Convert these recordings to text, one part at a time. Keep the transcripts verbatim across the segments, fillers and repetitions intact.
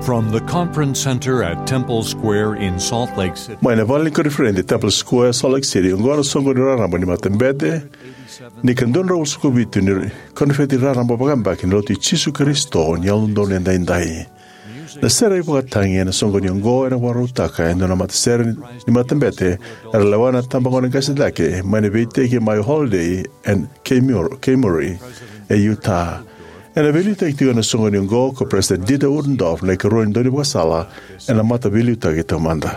From the conference center at Temple Square in Salt Lake City. Mai na vale ni koniferedi e Temple Square, Salt Lake City, oqo na soqo ni raraba ni matabete ni ka dua na drau walusagavulu ka vitu ni koniferedi raraba vakayabaki ni Lotu i Jisu Karisito ni Yalododonu Edaidai. Na sere ivakatagi ena soqoni oqo ena vakarautaka e dua na matasere ni matabete era lewa na itabagone qase cake mai na veiiteki mai Holladay and Kay Mur-, Kay Murray e Utah. Ena veiliutaki tiko ena soqoni oqo ko President Dieter Uchtdorf, na ikarua ni daunivakasala ena mataveiliutaki taumada.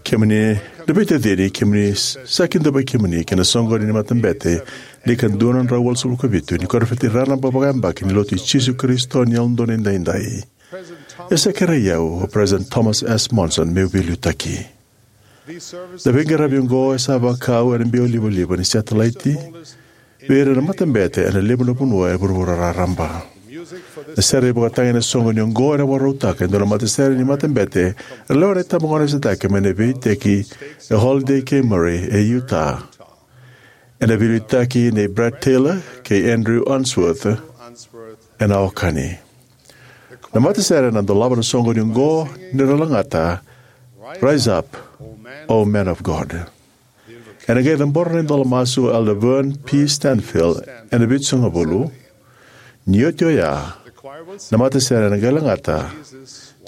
Kemuni na veitacini, kemuni sa kidavaki kemuni ki na soqoni ni matabete ni ka dua na drau walusagavulu ka vitu ni koniferedi raraba vakayabaki ni Lotu i Jisu Karisito ni Yalododonu Edaidai. E sa kerei au o President Thomas S. Monson meu veiliutaki. Na veiqaravi oqo e sa vakau ena biau livaliva ni setalaiti vei ira na matabete ena levu na vanua e vuravura raraba. Na sere ivakatagi ena soqoni oqo ena vakarautaka e dua na matasere ni matabete era lewa na itabagone qase cake mai na veiiteki e Holladay Kay Murray e Utah. Ena veiliutaki nei Brad Taylor kei Andrew Unsworth ena Aukani. Na matasere ena dolava na soqoni oqo ni ra lagata Rise Up, O Man of God. Ena qai cabora na idola masu o Elder Vern P. Stanfill ena vitusagavulu. Ni oti oya, na matasere ena qai lagata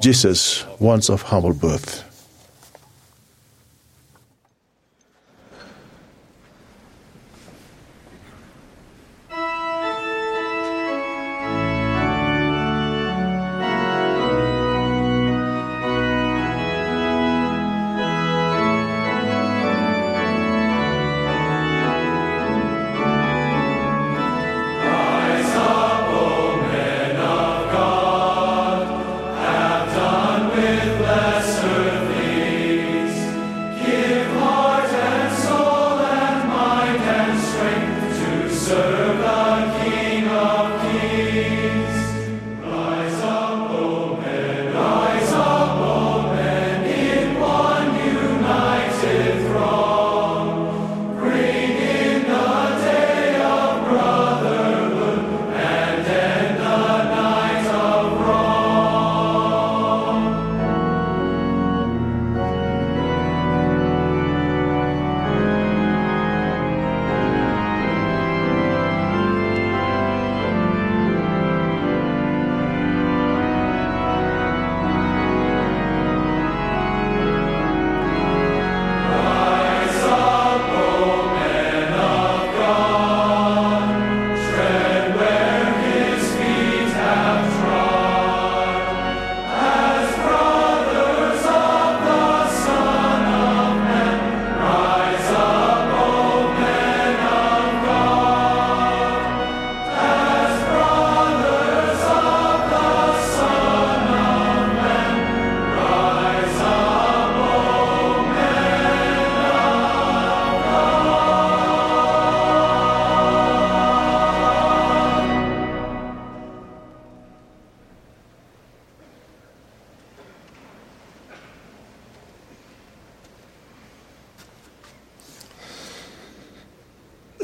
Jesus Once of Humble Birth.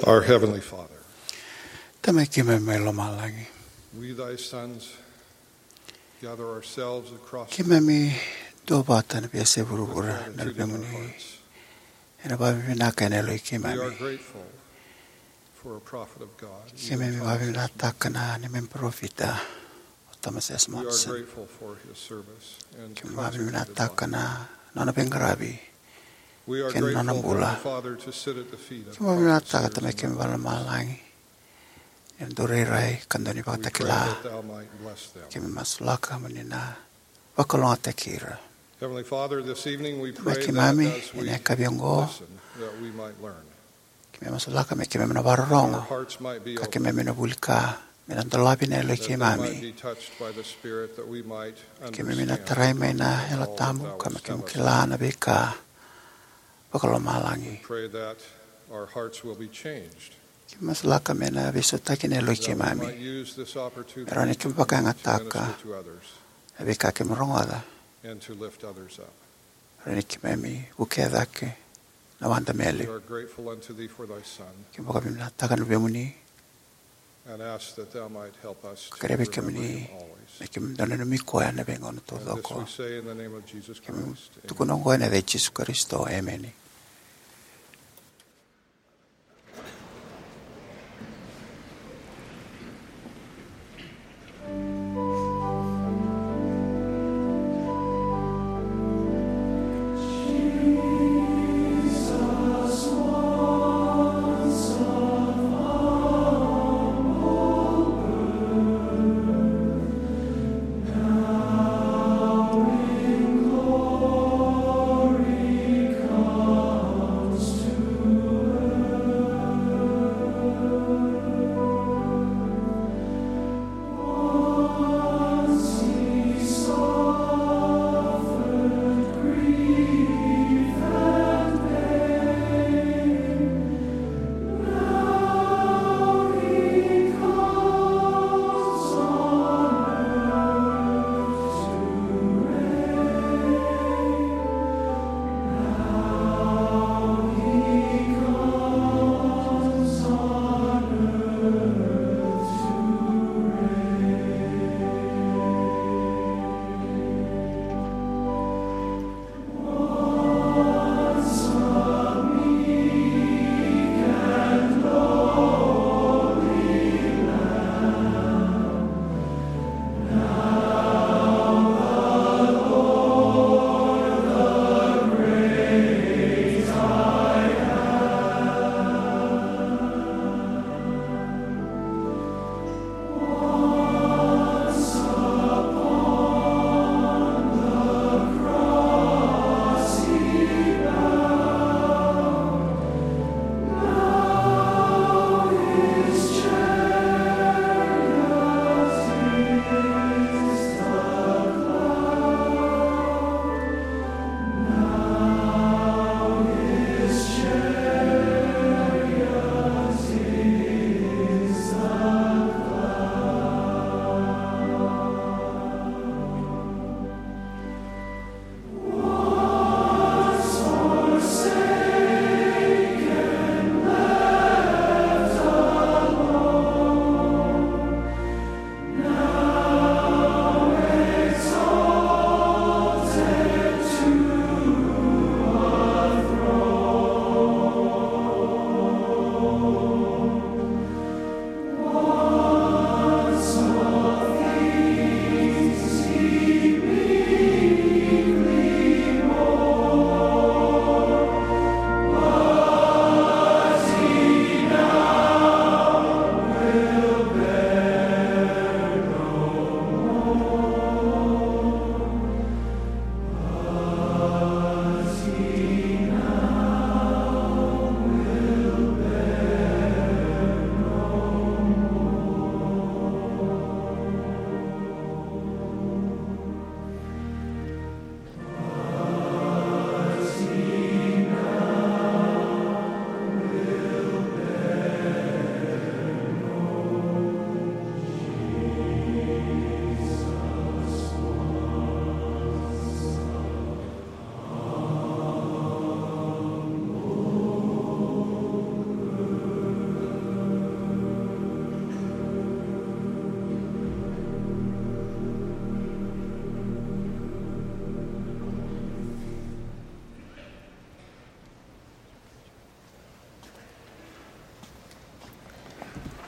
Our Heavenly Father, Tamai keimami mai lomalagi, we, thy sons, gather ourselves across keimami duavata na veiyasai vuravura na luvemuni ena vakavinavinaka ena yaloi keimami. We are grateful for a prophet of God. Keimami vakavinavinakataka na neimami parofita o Thomas S. Monson. We are grateful for his service and contribution to God. Keimami vakavinavinakataka na nona veiqaravi kei na nona bula. We are grateful for the Father to sit at the feet of Christ. Keimami vakavinavinakataka Tamai keimami vakalomalagi ni dau rairai ka dau ni vakatakila. We pray that thou might bless them. Keimami masulaka mo ni na vakalougatataki ira. Heavenly Father, this evening we pray that as we listen, that we might learn. Tamai keimami, ena yakavi oqo, keimami masulaka me keimami na vakarorogo, our hearts might be open, ka keimami na vuli ka me na dolavi na yaloi keimami. That they might be touched by the Spirit, that we might understand all that thou wouldst have us to know. Keimami na tarai mai na Yalo Tabu ka me keimami kila na veika vakalomalagi. We pray that our hearts will be changed. Keimami masulaka me na veisautaki na yaloi keimami. Me rawa ni keimami vakayagataka na veika keimami rogoca. Me rawa ni keimami vukea cake na wada me yali. Keimami vakavinavinakataka na veivuke. Kerea vei kemuni me keimami dau nanumi koya na veigauna taucoko. Keimami tukuna oqo ena yaca i Jisu Karisito. Emeni.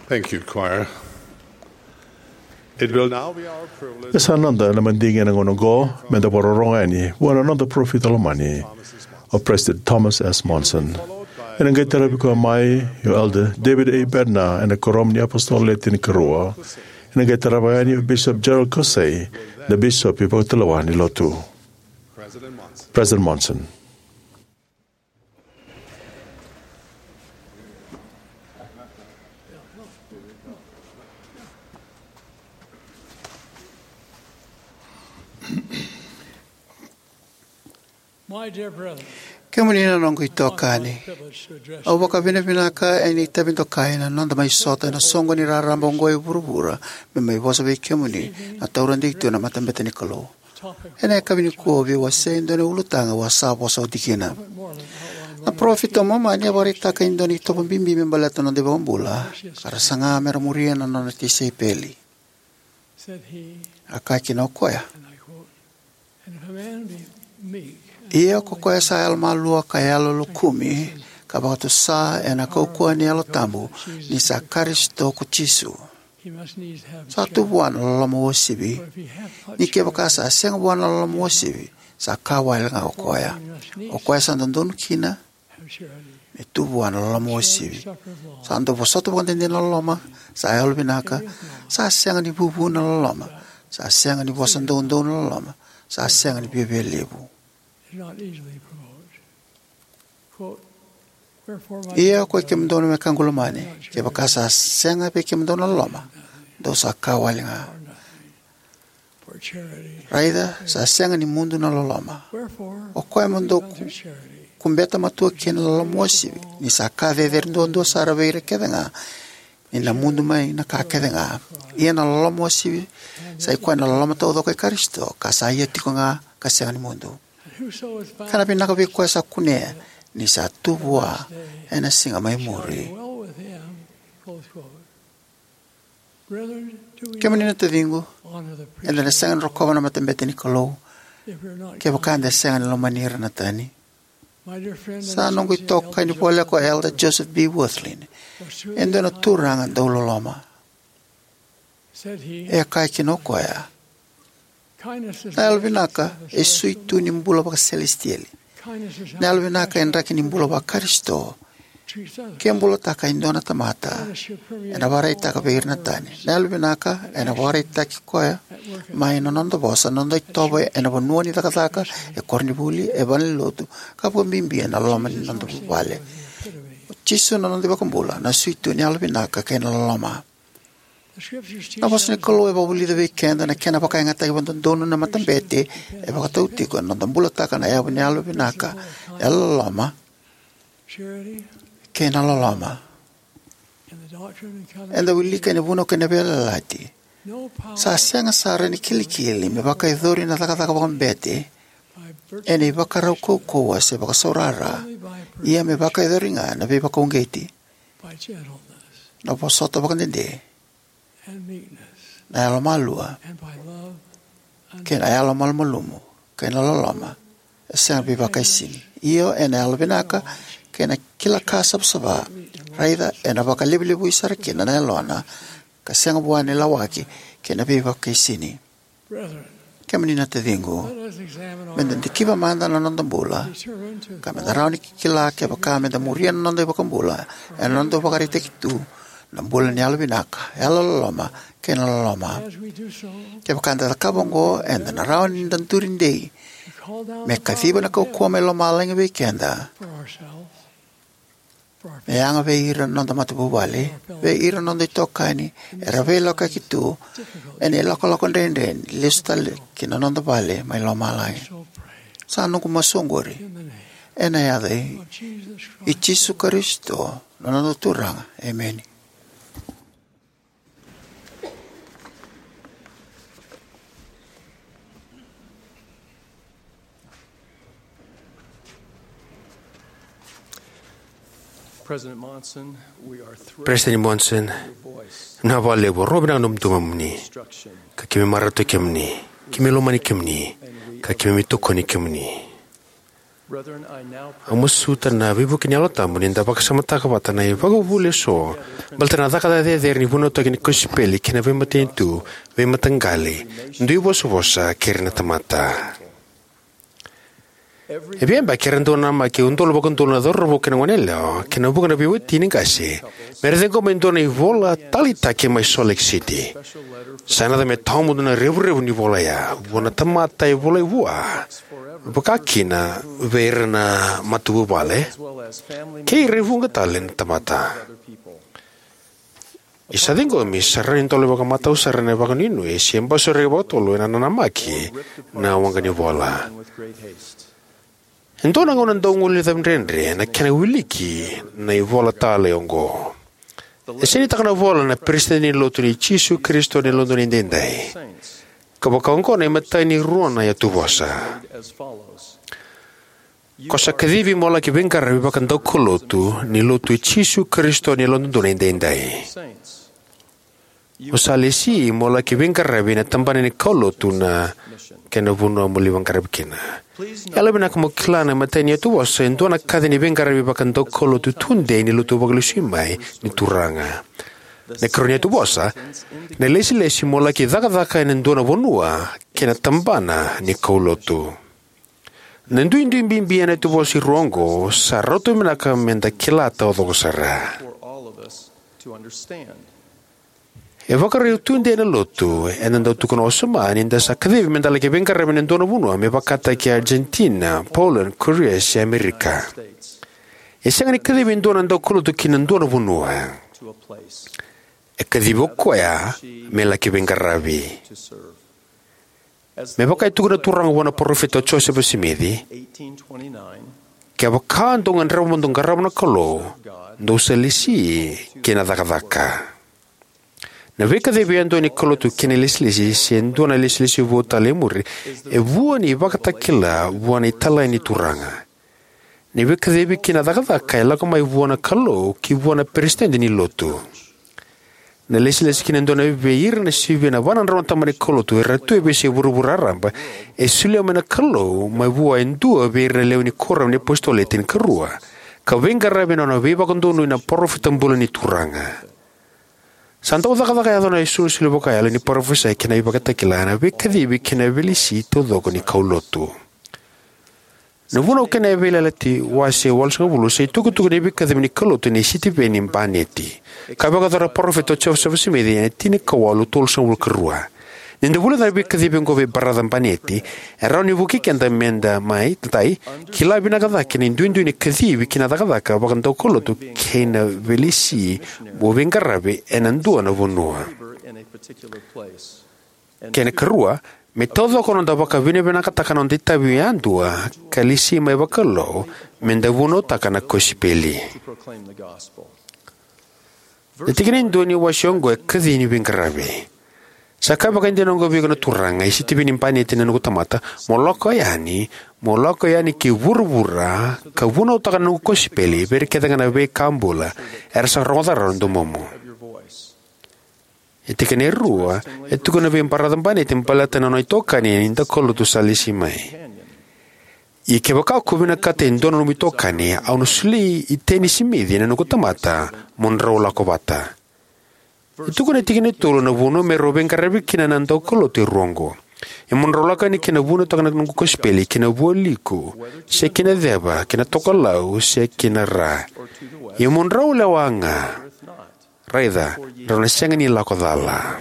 Thank you, choir. It will now be our privilege. E sa noda na madigi ena gauna oqo me da vakarorogo yani vua na noda parofita lomani, o President Thomas S. Monson. Ena qai taravi koya mai o Elder David A. Bednar ena Kuoramu ni iApositolo Le Tinikarua. Ena qai tarava yani o Bishop Gerald Caussé, na bisopi vakatulewa ni Lotu. President Monson. My dear brethren, Kemuni na noqu itokani, au vakavinavinaka ena itavi dokai na noda mai sota ena soqoni raraba oqo e vuravura me mai vosa vei kemuni na tauradaitui na matabete ni Kalou. Ena yakavi nikua au veiwasei e dua na ulutaga au a sa vosa oti kina. Na parofita o Momani a vakaraitaka e dua na itovo bibi me baleta na noda iVakabula, ka ra saga me ra muria na nona tisaipeli. A kaya kina o koya, "Ia ko koya sa yalomalua ka yalolokumi ka vakatusa ena kaukauwa ni Yalo Tabu ni sa Karisito ko Jisu, sa tu vua na loloma uasivi. Ni kevaka sa sega vua na loloma uasivi, sa ka wale ga o koya. O koya sa dodonu kina me tu vua na loloma uasivi. Sa dau vosota vakadede na loloma, sa yalovinaka, sa sega ni vuvu na loloma, sa sega ni vosa doudou na loloma, sa sega ni viavialevu." Ia ko i kemudou na wekaqu lomani, kevaka sa sega vei kemudou na loloma, dou sa ka wale ga. Raica, sa sega ni mudu na loloma. O koya mo dou ku-, kubeta matua kina na loloma uasivi, ni sa ka cecere duadua sara vei ira kece ga, ni na mudu mai na ka kece ga. Ia na loloma uasivi sa i koya na loloma taucoko i Karisito, ka sa ia tiko ga ka sega ni mudu. Ka na vinaka vei koya sa kunea, ni sa tu vua ena siga mai muri. Kemuni na taciqu, eda na sega ni rokova na matabete ni Kalou kevaka eda sega ni lomani ira na tani. Sa noqu itokani voleka o Elder Joseph B. Wirthlin, e dua na turaga dauloloma. E kaya kina o koya, "Na yalovinaka e suitu ni bula vakaselesitieli. Na yalovinaka e draki ni bula vaKarisito. Ke bulataka e dua na tamata, ena vakaraitaka vei ira na tani. Na yalovinaka ena vakaraitaki koya mai na noda vosa, na noda itovo ena vanua ni cakacaka, e koronivuli, e valenilotu, ka vakabibi ena loma ni noda vuvale." O Jisu na noda iVakabula, na suitu ni yalovinaka kei na loloma. Na vosa ni Kalou e vakavulica vei keda na kena vakayagataki vakadodonu na matabete e vakatau tiko ena noda bulataka na yavu ni yalovinaka, yalololoma, kei na loloma. Eda wilika ena Vunau kei na Veiyalayalati, sa sega sara ni kilikili me vakayacori na cakacaka vakabete ena ivakarau kaukauwa se vakasaurara, ia me vakayacori ga na veivakauqeti, na vosota vakadede, na yalomalua, kei na yalomalumalumu, kei na loloma e sega ni veivakaisini. Io, ena yalovinaka kei na kila ka savasava, raica ena vakalevulevui sara kina na yalona, ka sega vua na ilawaki kei na veivakaisini. Kemuni na taciqu, meda dikiva mada na noda bula, ka meda rawa ni kila kevaka meda muria na noda iVakabula ena noda vakaraitaki tu na bula ni yalovinaka, yalololoma, kei na loloma. Kevaka eda cakava oqo, eda na rawa ni da duri dei me kaciva na kaukauwa mai lomalagi vei keda, me yaga vei ira na noda matavuvale, vei ira na noda itokani era veilakoyaki tu ena ilakolako dredre ni lesu tale ki na noda vale mai lomalagi. Sa noqu masu oqori ena yaca i, i Jisu Karisito, na noda Turaga. Emeni. President Monson, we are thrilled President Monson, na vale vou rovi na nomu tumamuni, ka keimami marautaki kemuni, keimami lomani kemuni, ka keimami tokoni kemuni. Au masuta na veivuke ni Yalo Tabu ni da vakasamataka vata na ivakavuvuli eso baleta na cakacaka cecere ni vunautaki ni kosipeli kei na veimatanitu, veimataqali, dui vosavosa kei ira na tamata. E via yabaki era dau namaki e udolu vakaudolu na cauravou kei na goneyalewa kei na vuqa na veiwatini qase me ra ciqoma e dua na ivola taleitaki mai Salt Lake City. Sa yaco me tawamudu na revurevu ni vola oya vua na tamata e volai vua, vaka kina vei ira na matavuvale kei ira e vuqa tale na tamata. Ni sa ciqomi, sa rawa ni dolavi vakamatau sara ena vakanuinui se basuraki vakatotolo ena nanamaki na waqa ni vola. E dua na gauna dau guilecavi dredre na kena wiliki na ivola talei oqo. E sainitaka na ivola na Peresitedi ni Lotu i Jisu Karisito ni Yalododonu Edaidai, ka vakaoqo na imatai ni rua na iyatuvosa: Ko sa kacivi mo laki veiqaravi vakadaukaulotu ni Lotu i Jisu Karisito ni Yalododonu Edaidai. O sa lesi mo laki veiqaravi ena tabana ni kaulotu na kena vanua mo lai veiqaravi kina. Yalovinaka mo kila na imatai ni iyatuvosa e dua na kaci ni veiqaravi vakadaukaulotu tudei ni Lotu vakalesui mai ni Turaga. Na ikarua ni iyatuvosa, na ilesilesi mo laki cakacaka ena dua na vanua kei na tabana ni kaulotu. Na duidui bibi ena iyatuvosa e rua oqo sa rauta vinaka meda kila taucoko sara. E vakarau tudei na Lotu eda dau tukuna wasoma ni da sa kacivi meda laki veiqaravi ena dua na vanua, me vakataki Argentina, Poland, Korea, se Amerika. E sega ni kacivi e dua na daukaulotu ki na dua na vanua. E kacivi o koya me laki veiqaravi. Me vaka e tukuna na Turaga vua na Parofita o Josefa Simici: Kevaka dou gadreva mo dou qarava na Kalou, dou sa lesi ki na cakacaka. Na veikacivi yadua ni kaulotu kei na ilesilesi, se dua na ilesilesi vou tale e muri, e vua ni ivakatakila vua na italai ni Turaga. Na veikacivi ki na cakacaka e lako mai vua na Kalou ki vua na Peresitedi ni Lotu. Na ilesilesi ki na dua vei ira na sivia na va na drau na tabana ni kaulotu era tu e veiyasai vuravura raraba e solia mai na Kalou mai vua e dua vei ira na lewe ni kuoramu ni iApositolo Le Tinikarua, ka veiqaravi ena nona veivakadonui na parofita bula ni Turaga. Sa dau cakacaka yaco na isolisoli vakayalo ni parofisai kei na ivakatakila ena veikacivi kei na veilesi taucoko ni kaulotu. Na Vunau kei na Veiyalayalati wase walusagavulu sa itukutuku ni veikacivi ni kaulotu nei Sitiveni Baneti, ka vakayacora na Parofita o Josefa Simici ena tinikawalu tolusagavulu ka rua. Ni da vulica na veikacivi oqo vei Baraca Baneti, e rawa ni vukei keda meda mai, matai, kila vinaka cake na duidui ni kacivi ki na cakacaka vakadaukaulotu kei na veilesi mo veiqaravi ena dua na vanua. Kei na ikarua, me taucoko na noda vakavinavinakataka na noda itavi yadua ka lesi mai vakalou meda vunautaka na kosipeli. Na tikina e dua ni wase oqo e kaci ni veiqaravi. Sa ka vakaidina oqo vei iko na Turaga, e Sitiveni Baneti na noqu tamata, mo lako yani, mo lako yani ki vuravura ka vunautaka na noqu kosipeli vei ira kece ga na veika bula era sa rogoca rawa na domomu. E tikina e rua e tukuna vei Baraca Baneti baleta na nona itokani ni daukaulotu sa lesi mai: Ia kevaka ko vinakata e dua na nomu itokani, au na solia i Teni Simici na noqu tamata mo drau lako vata. E tukuna na tikina e tolu na vanua me rau veiqaravi kina na daukaulotu e rua oqo. Ia mo drau lako yani ki na vunautaka na noqu kosipeli ki na vualiku, se ki na ceva, ki na tokalau, se ki na ra. Ia mo drau lewa ga, raica, drau na sega ni lako cala.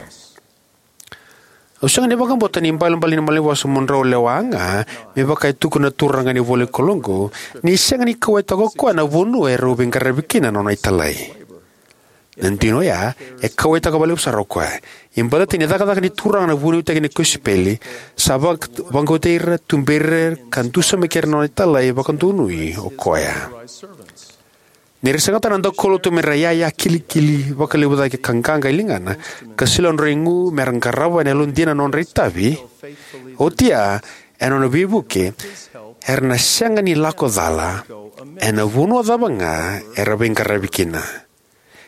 Au sega ni vakabauta na ibalebale ni malanivosa mo drau lewa ga me vaka e tukuna na turaga ni ivolanikalou oqo, ni sega ni kauwaitaka o koya na vanua e rau veiqaravi kina na nona italai. Na dina oya, e kauwaitaka vakalevu sara o koya. Ia baleta ni cakacaka ni turaga na vunautaki ni kosipeli, sa vak-, vakauqeti ira, tuberi ira, ka dusimaki ira na nona italai vakadonui o koya. Ni ra segata na daukaulotu me ra iyaya kilikili vakalevu cake ka qaqa e ligana, ka solia nodra igu me ra qarava ena yalodina na nodra itavi, oti ya, ena nona veivuke, era na sega ni lako cala ena vanua cava ga era veiqaravi kina.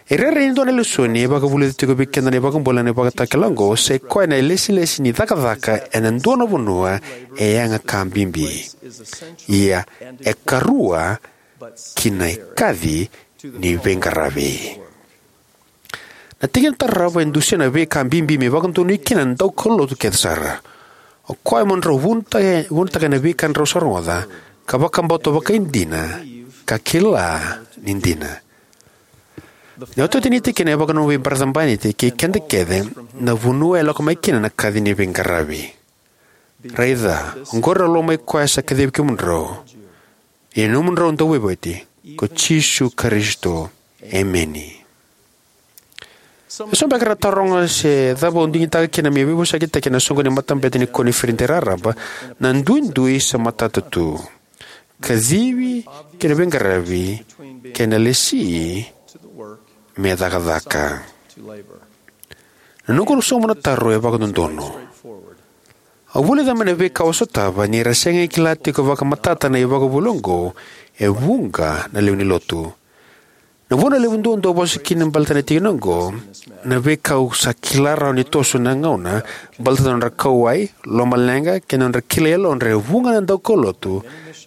E rairai e dua na lesoni e vakavulica tiko vei keda na iVakabula ena ivakatakila oqo, sa i koya na ilesilesi ni cakacaka ena dua na vanua e yaga ka bibi. Ia, e karua ki na ikaci ni veiqaravi. Na tikina tarava e dusia na veika bibi me vakadonui kina na daukaulotu kece sara. O koya mo drau vunautaka, vunautaka na veika drau sa rogoca, ka vakabauta vakaidina, ka kila ni dina. Na iotioti ni tikina e vakananuma vei Baraca Baneti kei keda kece na vanua e lako mai kina na kaci ni veiqaravi. Raica, oqori au lomai koya sa kacivi kemudrau, ia nomudrau Dauveivueti, ko Jisu Karisito. Emeni. Eso beka era taroga se cava au digitaka kina meu veivosakitaki ena soqo ni matabete ni koniferedi raraba, na duidui sa matata tu. kacivi kei na veiqaravi kei na lesi me cakacaka. Na noqu sauma na taro e vakadodonu. Au vulica mai na veika au sotava ni ra sega ni kila tiko vakamatata na ivakavuvuli oqo e vuqa na lewe ni lotu. Na vuna levu duadua au vosa kina baleta na tikina oqo, na veika au sa kila rawa ni toso na gauna, baleta na nodra kauwai, lomaleqa, kei na nodra kilai yalodra e vuqa na daukaulotu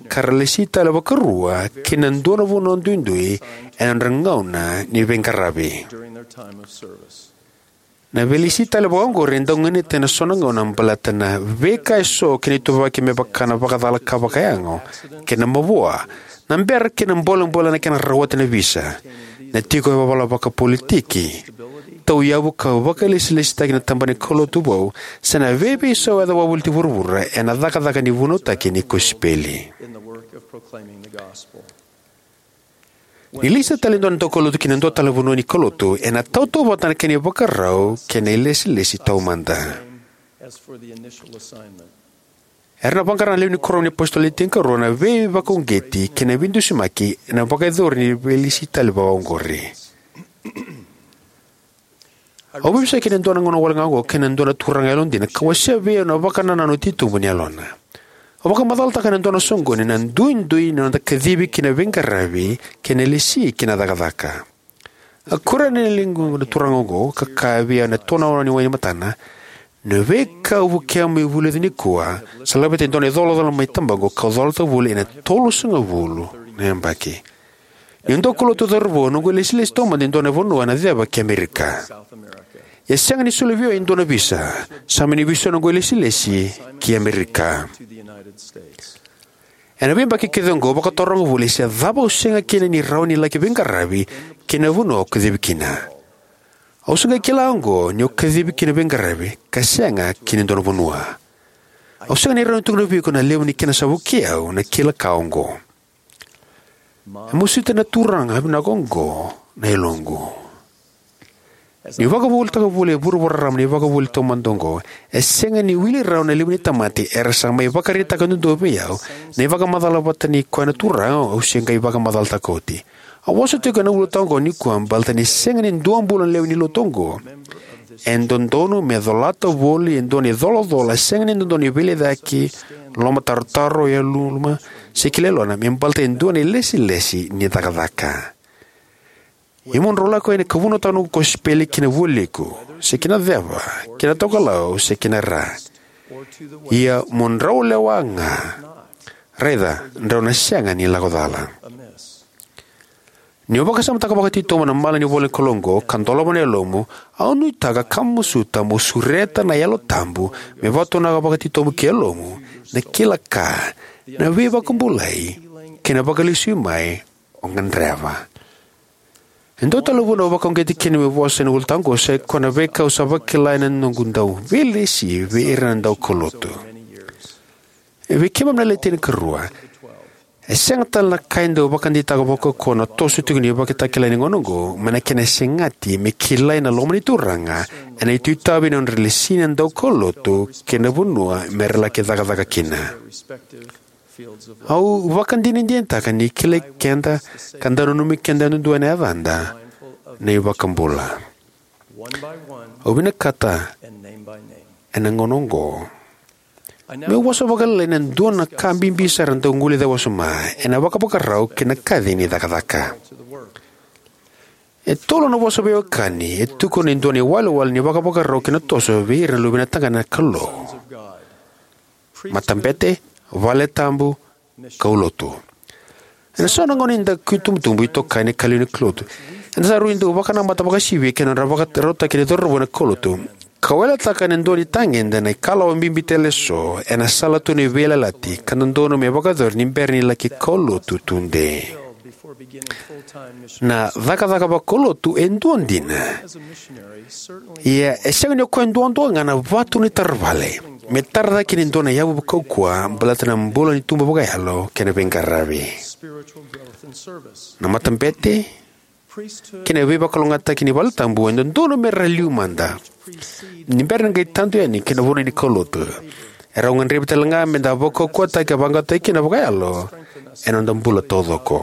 ka ra lesi tale vakarua ki na dua na vanua duidui ena nodra gauna ni veiqaravi. Na veilesi tale vakaoqori e dau ganita ena so na gauna baleta na veika eso kei na ituvaki me vaka na vakacala ka vakayago kei na mavoa, na bera kei na bolebole na kena rawati na visa, na tiko yavavala vakapolitiki, tauyavu ka vakailesilesitaki na tabana ni kaulotu vou, se na veiveisau e yaco vakavoliti vuravura ena cakacaka ni vunautaki ni kosipeli. Ni lesi tale e dua na daukaulotu ki na dua tale na vanua ni kaulotu, ena tautauvata na kena ivakarau kei na ilesilesi taumada. Era na vaqara na lewe ni kuoramu ni apositolo Le Tinikarua na veivakauqeti kei na veidusimaki ena vakayacori ni veilesi tale vakaoqori. Au veivesuki ena dua na gauna wale ga oqo kei na dua na turaga yalodina ka wasea vei au na vakanananu titobu ni yalona. Au vakamacalataka ena dua na soqoni na duidui ni noda kacivi ki na veiqaravi kei na lesi ki na cakacaka. A kuria na liqu na turaga oqo ka kaya vei au ena tonaona ni wai ni matana, na veika au vukea mo vulica nikua sa laveta e dua na icolacola mai tabaqu kau colata voli ena tolusagavulu na yabaki. Niu daukaulotu cauravou, noqu ilesilesi taumada e dua na vanua ena ceva ki Amerika. Ia sega ni soli vei au e dua na visa, sa mani veisau noqu ilesilesi ki Amerika. Ena veiyabaki kece oqo au vakataroga voli se cava au sega kina ni rawa ni laki veiqaravi ki na vanua au kacivi kina. Au sa qai kila oqo niu kacivi ki na veiqaravi ka sega ki na dua na vanua. Au sega ni rawa ni tukuna vei iko na levu ni kena sa vukei au na kila ka oqo. E masuta na turaga vinaka oqo na yaloqu. Niu vakavuvulitaka voli e vuravura raraba na ivakavuvuli taumada oqo, e sega ni wili rawa na levu ni tamata era sa mai vakaraitaka duadua vei au na ivakamacala vata ni koya na turaga au se qai vakamacalataka oti. Au vosa tiko ena ulutaga oqo nikua baleta ni sega ni dua bula na lewe ni lotu oqo e dodonu me colata voli e dua na icolacola sega ni dodonu ni veilecayaki, lomatarotaro, yaluma, se kila yalona me baleta e dua na ilesilesi ni cakacaka. Ia mo drau lako yani ka vunautaka noqu kosipeli ki na vualiku, se ki na ceva, ki na tokalau, se ki na ra. Ia mo drau lewa ga. Raica, drau na sega ni lako cala. Niu vakasamataka vakatitobu na mala ni ivolanikalou oqo ka dolava na yalomu, au nuitaka ka masuta mo sureta na Yalo Tabu me vakatonaka vakatitobu ki yalomu na kila ka, na veivakabulai, kei na vakalesui mai o gadreva. E dua tale na vuna au vakauqeti kina meu vosa ena ulutaga oqo sai koya na veika au sa vakila ena noqu dau veilesi vei ira na daukaulotu. E vei keimami na Le Tinikarua, e sega tale na ka e dau vakadeitaka vakaukauwa na toso tiko ni ivakatakila ni gauna oqo mai na kena segati me kilai na loma ni Turaga ena itavi ni nodra lesi na daukaulotu kei na vanua me ra laki cakacaka kina. Au vakadinadinataka ni kilai keda ka dau nanumi keda yadudua ena yacada na iVakabula. Au vinakata ena gauna oqo meu vosa vakalailai ena dua na ka bibi sara dau guilecavi wasoma ena vakavakarau kei na kaci ni cakacaka. E tolu na vosa veiwekani e tukuna e dua na iwalewale ni vakavakarau kei na toso vei ira na luvena tagane na Kalou: matabete, valetabu, kaulotu. Ena so na gauna ni daku itubutubu, itokani, ka lewe ni kaulotu, eda sa rui dau vakanamata vakasivia kei na nodra vakarautaki na cauravou ena kaulotu, ka weletaka ena dua na itagede na ikalawa bibi tale eso ena sala tu ni veiyalayalati ka dodonu me vakayacori ni bera ni laki kaulotu tudei. Na cakacaka vakaulotu e dua dina. Ia e sega ni o koya duadua ga na vatu ni tara vale me tara cake ni dua na yavu vakaukauwa baleta na bula ni tubu vakayalo kei na veiqaravi. Na matabete kei na veivakalougatataki ni valetabu e dodonu me ra liu mada ni bera ni qai tadu yani ki na vanua ni kaulotu. Erau gadrevi tale ga me da vakaukauwataki ka vaqaqacotaki kina vakayalo ena noda bula taucoko.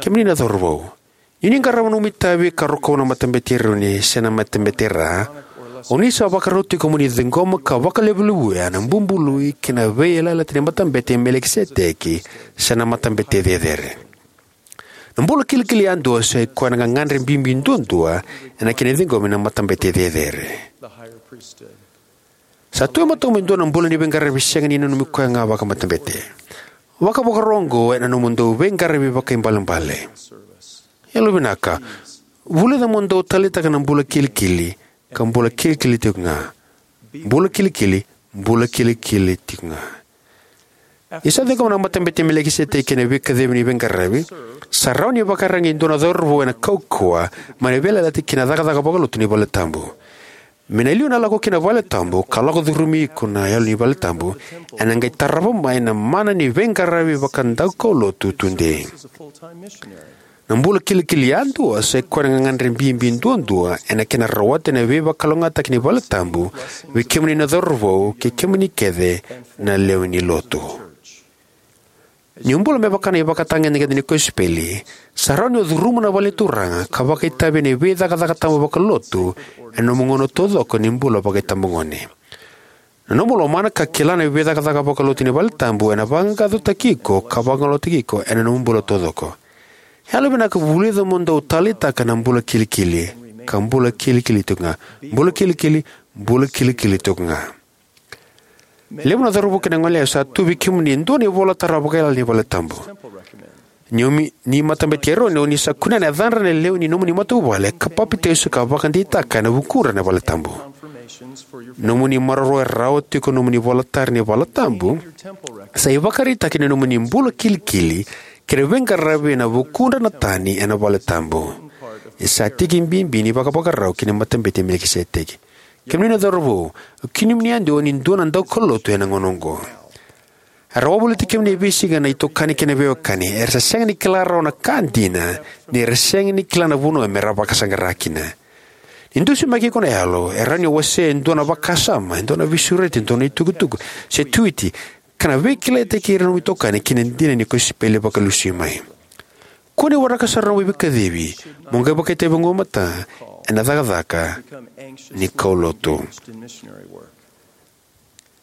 Kemuni na cauravou, ni o ni qarava nomu itavi ka rokova na Matabete i Eroni se na Matabete i Ra, o ni sa vakarau tiko mo ni ciqoma ka vakalevulevuya na bubului kei na veiyalayalati ni Matabete i Melikiseteki se na Matabete Cecere. Na bula kilikili yadua sa i koya na gagadre bibi duadua ena kena ciqomi na Matabete Cecere. Sa tu e matamuni e dua na bula ni veiqaravi sega ni nanumi koya ga vakamatabete. Vakavakarau oqo ena nomudou veiqaravi vakaibalebale. Yalovinaka, vulica mo dou taleitaka na bula kilikili, ka bula kilikili tiko ga. Bula kilikili, bula kilikili tiko ga. Ni sa ciqoma na Matabete i Melikiseteki ena veikacivi ni veiqaravi, sa rawa ni vakaiyaragi e dua na cauravou ena kaukauwa mai na veiyalayalati kei na cakacaka vakalotu ni valetabu. Me na liu na lako ki na valetabu ka lako curumi iko na yalo ni valetabu, ena qai tarava mai na mana ni veiqaravi vakadaukaulotu tudei. Na bula kilikili yadua sa i koya na gagadre bibi duadua ena kena rawati na veivakalougatataki ni valetabu vei kemuni na cauravou kei kemuni kece na lewe ni Lotu. Ni o bula me vaka na ivakatagedegede ni kosipeli, sa rawa ni o curuma na vale ni Turaga ka vakaitavi ena veicakacaka tabu vakalotu ena nomu gauna taucoko ni bula vakaitabagone. Na nomu lomana ka kila na veicakacaka vakalotu ni valetabu ena vaqaqacotaki iko ka vagalalataki iko ena nomu bula taucoko. Yalovinaka, vulica mo dou taleitaka na bula kilikili, ka bula kilikili tiko ga. Bula kilikili, bula kilikili tiko ga. E levu na cauravou kei na goneyalewa sa tu vei kemuni e dua na ivolatara vakayalo ni valetabu. Ni o ni, ni Matabete i Eroni, o ni sa kunea na yacadra na lewe ni nomuni matavuvale ka papitaiso ka vakadeitaka ena vukudra na valetabu. Nomuni maroroya rawa tiko nomuni ivolatara ni valetabu sa ivakaraitaki ni nomuni bula kilikili kei na veiqaravi ena vukudra na tani ena valetabu. E sa tiki bibi ni vakavakarau ki na Matabete i Melikiseteki. Kemuni na cauravou, o kemuni yadua o ni dua na daukaulotu ena gauna oqo. Era wavoliti kemuni e veisiga na itokani kei na veiwekani era sa sega ni kila rawa na ka dina, ni ra sega ni kila na vanua me ra vakasaqara kina. Ni dusimaki iko na yalo, e rawa ni o wasea e dua na vakasama, e dua na veisureti, e dua na itukutuku, se Twitter, ka na veikilaitaki ira na nomu itokani ki na dina ni kosipeli vakalesui mai. Kua ni waraka sara na nomu ivakacivi mo qai vakaitavi oqo mada ena cakacaka ni kaulotu.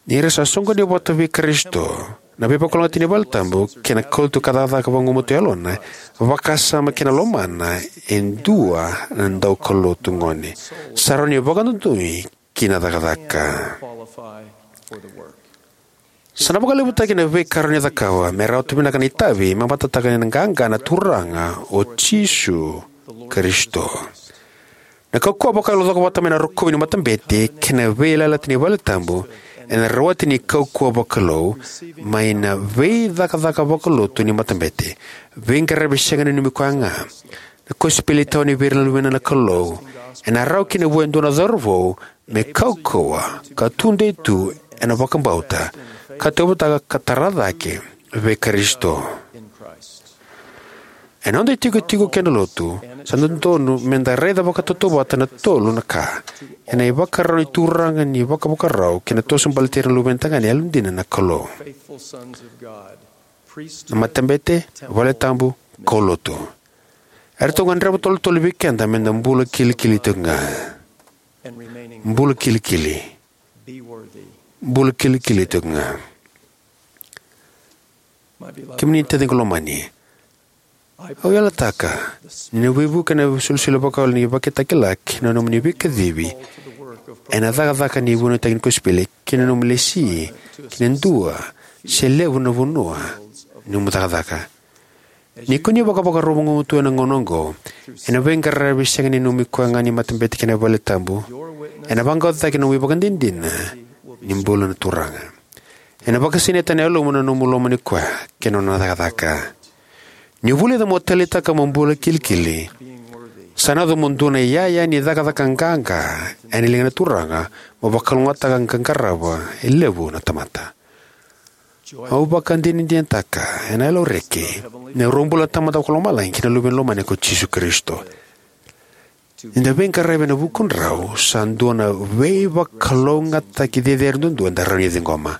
Ni ra sa soqoni vata vei Karisito, na veivakalougatataki ni valetabu kei na kaulotu ka cakacaka vagumatua e yalona, vakasama kei na lomana e dua na daukaulotu gone. Sa rawa ni vakadonui ki na cakacaka. Sa na vakalevutaki na veika rawa ni cakava me rawata vinaka na itavi me matataka ni na qaqa na Turaga o Jisu Karisito. Na kaukauwa vakayalo cokovata mai na rokovi ni matabete kei na veiyalayalati ni valetabu ena rawati ni kaukauwa vakalou mai na veicakacaka vakalotu ni matabete, veiqaravi sega ni nanumi koya ga, na kosipeli tawani vei ira na luve ni Kalou, ena rawa kina vua e dua na cauravou me kaukauwa ka tudei tu ena vakabauta ka tauyavutaka ka tara cake vei Karisito. Ena noda itikotiko kei na lotu, sa dodonu me da raica vakatautauvata na tolu na ka ena ivakarau ni Turaga ni vakavakarau kei na toso baleti ira na luve ni tagane yalodina na Kalou: na matabete, valetabu, kaulotu. Eratou gadreva tolotolo vei keda me da bula kilikili tiko ga. Bula kilikili. Bula kilikili tiko ga. Kemuni na taciqu lomani, au yalataka ni na veivuke na isolisoli vakayalo ni ivakatakila kei na nomuni veikacivi ena cakacaka ni vunautaki ni kosipeli, kei na nomu lesi ki na dua se levu na vanua ni nomu cakacaka. Ni ko ni vakavakarau vagumatua ena gauna oqo ena veiqaravi sega ni nanumi koya ga ni matabete kei na valetabu, ena vaqaqacotaki na nomu ivakadinadina ni bula na Turaga. Ena vakasinaita na yalomu na nomu lomani koya kei na nona cakacaka. Ni vulica mo taleitaka mo bula kilikili, sa na yaco mo dua na iyaya ni cakacaka qaqa ena liga ni Turaga, mo vakalougatataka ka qarava e levu na tamata. Au vakadinadinataka ena yalo reki na Ruabula na Tamada Vakalomalagi kei na Luve ni Lomani ko Jisu Karisito. Ni da veiqaravi ena vukudrau sa dua na veivakalougatataki cecere duadua eda rawa ni ciqoma.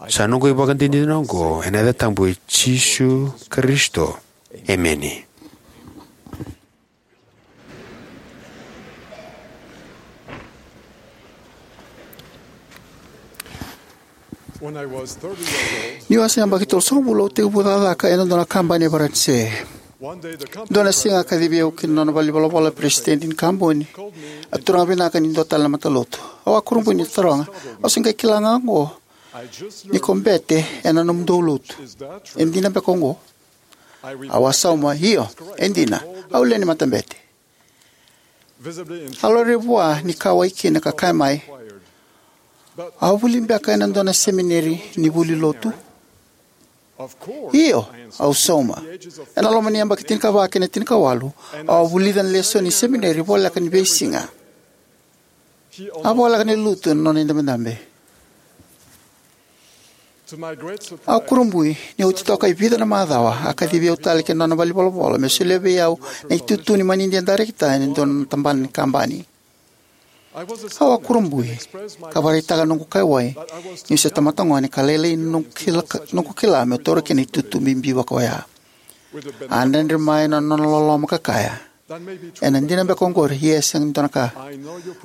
Sa noqu ivakadinadina oqo ena yaca tabu i Jisu Karisito. Emeni. When I was thirty years old, niu a se yabaki tolusagavulu, au tekivu cakacaka ena dua na kabani e Varanise. One day, the company... Dua na siga a kacivi au ki na nona valenivolavola na peresitedi ni kabani, a turaga vinaka ni dua tale na matalotu. Au a kurabui niu taroga, "Au se qai kila ga oqo ni ko bete ena nomudou lotu. E dina beka oqo?" Au a sauma, "Io, e dina. Au lewe ni matabete." A laurai vua ni kauwai kina ka kaya mai, "Au a vuli beka ena dua na semineri ni vuli lotu?" "Io," au sauma. Ena loma ni yabaki tinikava kei na tinikawalu, au a vulica na lesoni ni semineri voleka ni veisiga. A voleka ni lutu na nona idabedabe. Au kurabui, ni oti toka e vica na macawa, a kacivi au tale ki na nona valenivolavola me solia vei au na itutu ni manidia darekita ena dua na tabana ni kabani. Au a kurabui ka vakaraitaka noqu kaiwai niu se tamata gone ka lailai na noqu kila, noqu kila meu taura kina na itutu bibi vaka oya. A dredre mai na nona loloma ka kaya, "Ena dina beka oqori, ia e sega ni dua na ka.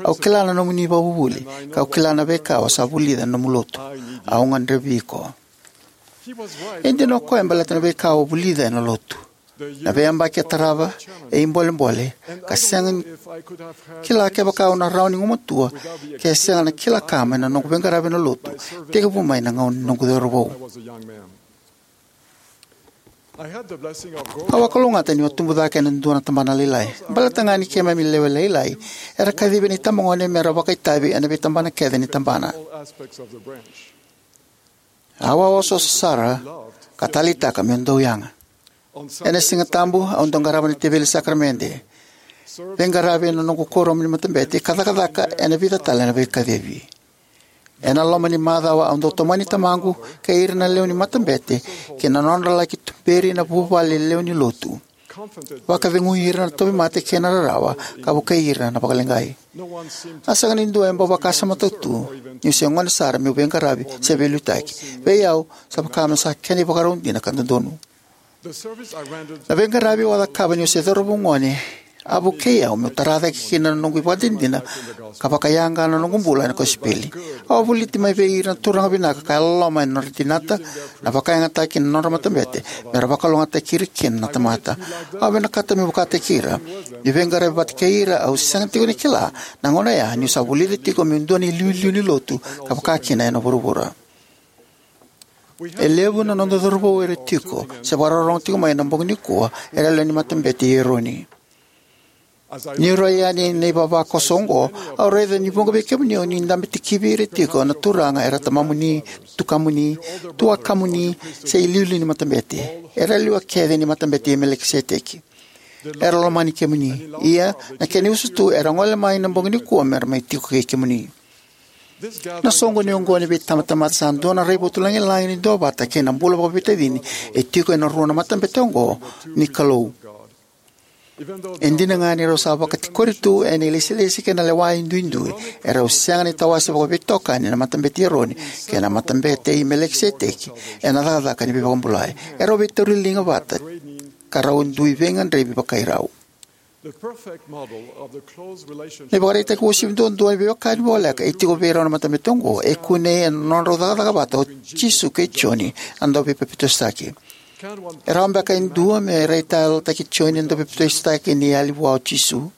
Au kila na nomuni ivakavuvuli, kau kila na veika o sa vulica ena nomu lotu. Au gadrevi iko." E dina o koya baleta na veika au a vulica ena lotu. Na veiyabaki e tarava, e ibolebole, ka sega ni kila kevaka au na rawa ni gumatua ke sega na kila ka mai na noqu veiqaravi ena lotu, tekivu mai na gauna ni noqu cauravou. Au a kalougata niu a tubu cake ena dua na tabana lailai. Baleta ga ni keimami lewe lailai, era kacivi na itabagone mera vakaitavi ena veitabana kece ni tabana. Au a osooso sara ka taleitaka meu dau yaga. Ena Siga Tabu, au dau qarava na teveli sakaramede, veiqaravi ena noqu kuoramu ni matabete, ka cakacaka ena vica tale na veikacivi. Ena loma ni macawa, au dau tomani tamaqu kei ira na lewe ni matabete ki na nodra laki tuberi na vuvale lewe ni lotu, vakacegui ira na tauvimate kei na rarawa, ka vukei ira na vakaleqai. A sega ni dua e bau vakasamataka tu niu se gone sara meu veiqaravi se veiliutaki. Vei au, sa vaka me sa kena ivakarau dina ka dodonu. Na veiqaravi au a cakava niu se cauravou gone a vukei au meu tara cake kina na noqu ivakadinadina ka vakayaga na noqu bula ena kosipeli. Au a voliti mai vei ira na turaga vinaka ka yalololoma ena nodra dinata na vakayagataki na nodra matabete mera vakalougatataki ira kina na tamata. Au vinakata meu vakataki ira, niu veiqaravi vata kei ira, au sega tiko ni kila na gauna oya niu sa vulica tiko meu dua na iliuliu ni lotu ka vaka kina ena vuravura. E levu na noda cauravou era tiko se vakarorogo tiko mai ena bogi nikua era lewe ni matabete i Eroni. Niu rai yani na ivavakoso oqo, au raica ni vuqa vei kemuni o ni dabe tikivi ira tiko na turaga era tamamuni, tukamuni, tuakamuni, se iliuliu ni matabete. Era lewa kece ni matabete i Melekiseteki. Era lomani kemuni. Ia, na kena iusutu, era gole mai na bogi nikua mera mai tiko kei kemuni. Na soqoni oqo ni veitabatamata sa dua na raivotu lagilagi ni duavata kei na bula vakaveitacini e tiko ena rua na matabete oqo ni Kalou. E dina ga ni rau sa vakatikori tu ena ilesilesi kei na lewa e duidui, erau sega ni tawase vakaveitokani na matabete i Eroni kei na matabete i Melekiseteki ena cakacaka ni veivakabulai. Erau veitauri liga vata ka rau dui veigadrevi vakairau. Na ivakaraitaki uasivi duadua ni veiwekani voleka e tiko vei rau na matabete oqo e kunei ena nodrau cakacaka vata o Jisu kei Joni na dauveipapitaisotaki. E rawa beka e dua me raitayalotaki Joni na dauveipapitaisotaki ni yali vua o Jisu?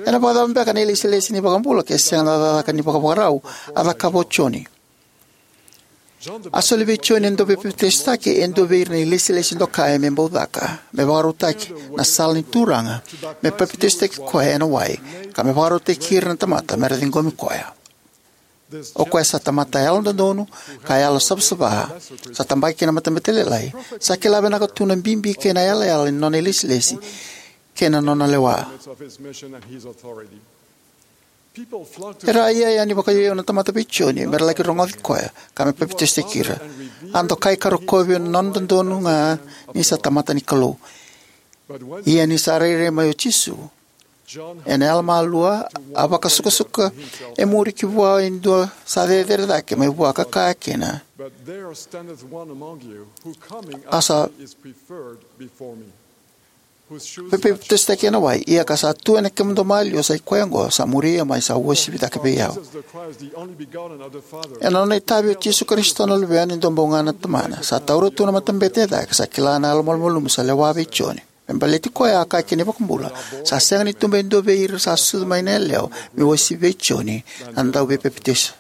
Ena vakacava beka na ilesilesi ni iVakabula ke sega na cakacaka ni vakavakarau a cakava o Joni? A soli vei Joni na dauveipapitaisotaki e dua vei ira na ilesilesi dokai me bau caka, me vakarautaki na sala ni Turaga me papitaisotaki koya ena wai, ka me vakarautaki ira na tamata mera ciqomi koya. O koya sa tamata yalododonu ka yalosavasava, sa tabaki ki na matabete lailai, sa kila vinaka tu na bibi kei na yalayala ni nona ilesilesi kei na nona lewa. Era a iyaya yani vakaiyau na tamata vei Joni mera laki rogoci koya ka me papitaisotaki ira. A dokai ka rokovi na nona dodonu ga ni sa tamata ni Kalou. Ia ni sa rairai mai o Jisu, Ena yalomalua, a vakasukasuka e muri ki vua e dua sa cecere cake mai vua ka kaya kina, a sa papitaisotaki ena wai, ia ka sa tu ena kemudou maliwa sa i koya oqo sa muri au mai, sa uasivi cake vei au. Ena nona itavi o Jisu Karisito na Luvena, e dua bau ga na Tamana, sa taura tu na matabete e cake, sa kila na yalomalumalumu sa lewa vei Joni. Me baleti koya, a kaya kina na iVakabula, sa sega ni tuba e dua vei ira sa sucu mai na yalewa me uasivi vei Joni na dauveipapitaiso.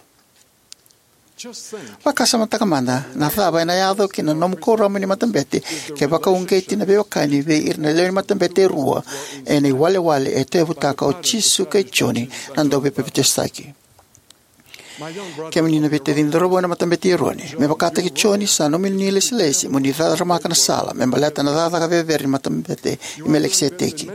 Vakasamataka mada na cava ena yaco ki na nomu kuoramu ni matabete ke vakauqeti na veiwekani vei ira na lewe ni matabete e rua ena iwalewale e tauyavutaka o Jisu kei Joni na dauveipapitaisotaki. Kemuni na veitacini cauravou ena Matabete i Eroni, me vakataki Joni, sa nomuni ilesilesi mo ni cakaramaka na sala me baleta na cakacaka cecere ni Matabete i Melikiseteki.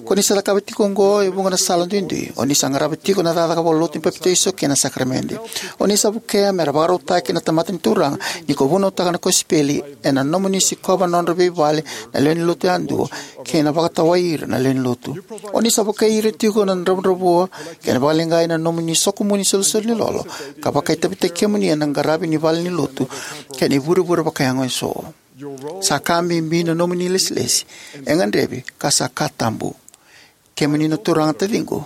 Ko ni sa cakava tiko oqo e vuqa na sala duidui. O ni sa qarava tiko na cakacaka vakalotu ni papitaiso kei na sakaramede. O ni sa vukea me ra vakarautaki na tamata ni Turaga ni ko vunautaka na kosipeli ena nomuni sikova na nodra veivale na lewe ni lotu yadua kei na vakatawai ira na lewe ni lotu. O ni sa vukei ira tiko na dravudravua kei na vakaleqai na nomuni sokumuni isolisoli ni lolo, ka vakaitavitaki kemuni ena qaravi ni valenilotu kei na ivurevure vakayago eso. Sa ka bibi na nomuni ilesilesi. E gadrevi ka sa ka tabu. Kemuni na turaga, taciqu,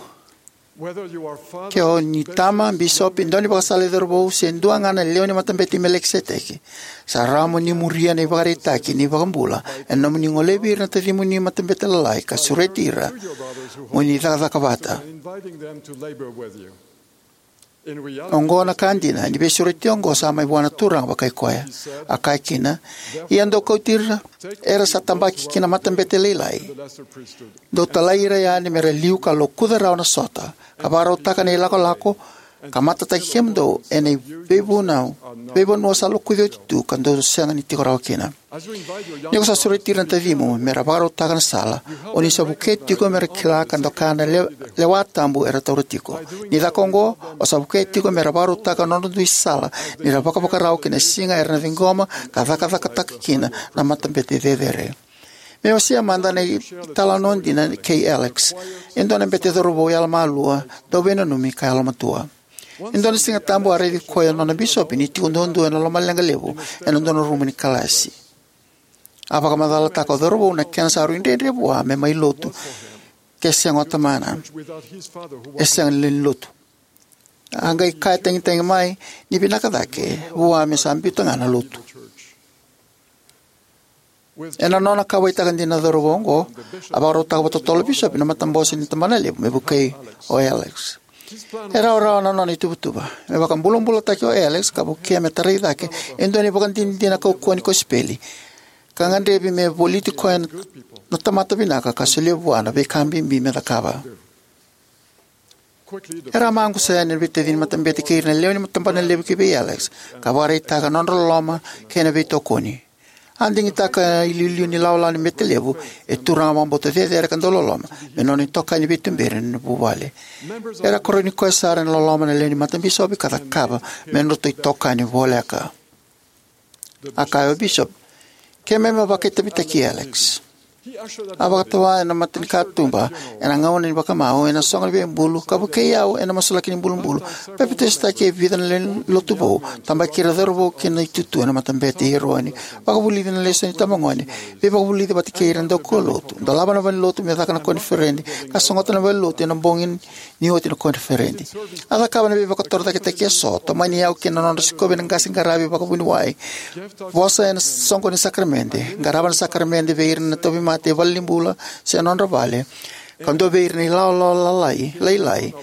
ke o ni tama, bisopi, daunivakasala i cauravou, se dua ga na lewe ni Matabete i Melikiseteki, sa rawa mo ni muria na ivakaraitaki ni iVakabula ena nomuni golevi ira na tacimuni matabete lalai ka sureti ira mo ni cakacaka vata. Oqo na ka dina, ni veisureti oqo sa mai vua na Turaga vakai koya. A kaya kina, "Ia dou kauti ira era sa tabaki ki na matabete lailai, dou talai ira yani me ra liu ka lokuca rawa na sota, ka vakarautaka na ilakolako, ka matataki kemudou ena veivunau, veivanua sa lokuci oti tu ka dou sega ni tiko rawa kina." Ni ko sa sureti ira na tacimu me ra vakarautaka na sala, o ni sa vukei tiko me ra kila ka doka na le-, lewa tabu era taura tiko. Ni caka oqo, o sa vukei tiko me ra vakarautaka nodra dui sala ni ra vakavakarau ki na siga era na ciqoma ka cakacakataka kina na matabete cecere. Me wasea mada na italanoa dina kei Alex, e dua na bete cauravou yalomalua, dauveinanumi ka yalomatua. E dua na Siga Tabu a raici koya na nona bisopi ni tiko duadua ena lomaleqa levu ena dua na rumu ni kalasi. A vakamacalataka o cauravou na kena sa rui dredre vua me mai lotu, ke sega o tamana, e sega ni lewe ni lotu. A qai kaya tagitagi mai ni vinaka cake vua me sa biuta ga na lotu. Ena nona kauwaitaka dina na cauravou oqo, a vakarautaka vakatotolo o bisopi na matabose ni tabanalevu me vukei o Alex. E rawarawa na nona ituvatuva me vakabulabulataki o Alex ka vukea me tarai cake e dua na ivakadinadina kaukauwa ni kosipeli, ka gadrevi me voliti koya na tamata vinaka ka solia vua na veika bibi me cakava. Era a maqusa yani na veitacini matabete kei ira na lewe ni tabanalevu ki vei Alex, ka vakaraitaka na nodra loloma kei na veitokoni. A digitaka na iliuliu ni lawalawa ni bete levu e turaga vakabauta cecere ka dauloloma me nona itokani veituberi ena vuvale. Era karoni koya sara ena loloma na lewe ni matabisopi ka cakava me nodratou itokani voleka. A kaya o bisopi, "Keimami a vakaitavitaki Alex." A vakatawa ena matanikatuba ena gauna ni vakamau ena soqo ni veibulu ka vukei au ena masulaki ni bulubulu, papitaisotaki e vica na lewe ni lotu vou, tabaki ira cauravou ki na itutu ena Matabete i Eroni, vakavulici na lesoni itabagone, veivakavulici vata kei ira na daukaulotu, dolava na valenilotu me caka na koniferedi, ka sogota na valenilotu ena bogi ni oti na koniferedi. A cakava na veivakatorocaketaki eso, tomani iyau ki na nodra sikovi na qase qaravi vakavuniwai, vosa ena soqo ni sakaramede, qarava na sakaramede vei ira na tauvimate e valenibula se nodra vale, ka dua vei ira na ilawalawa lalai, lailai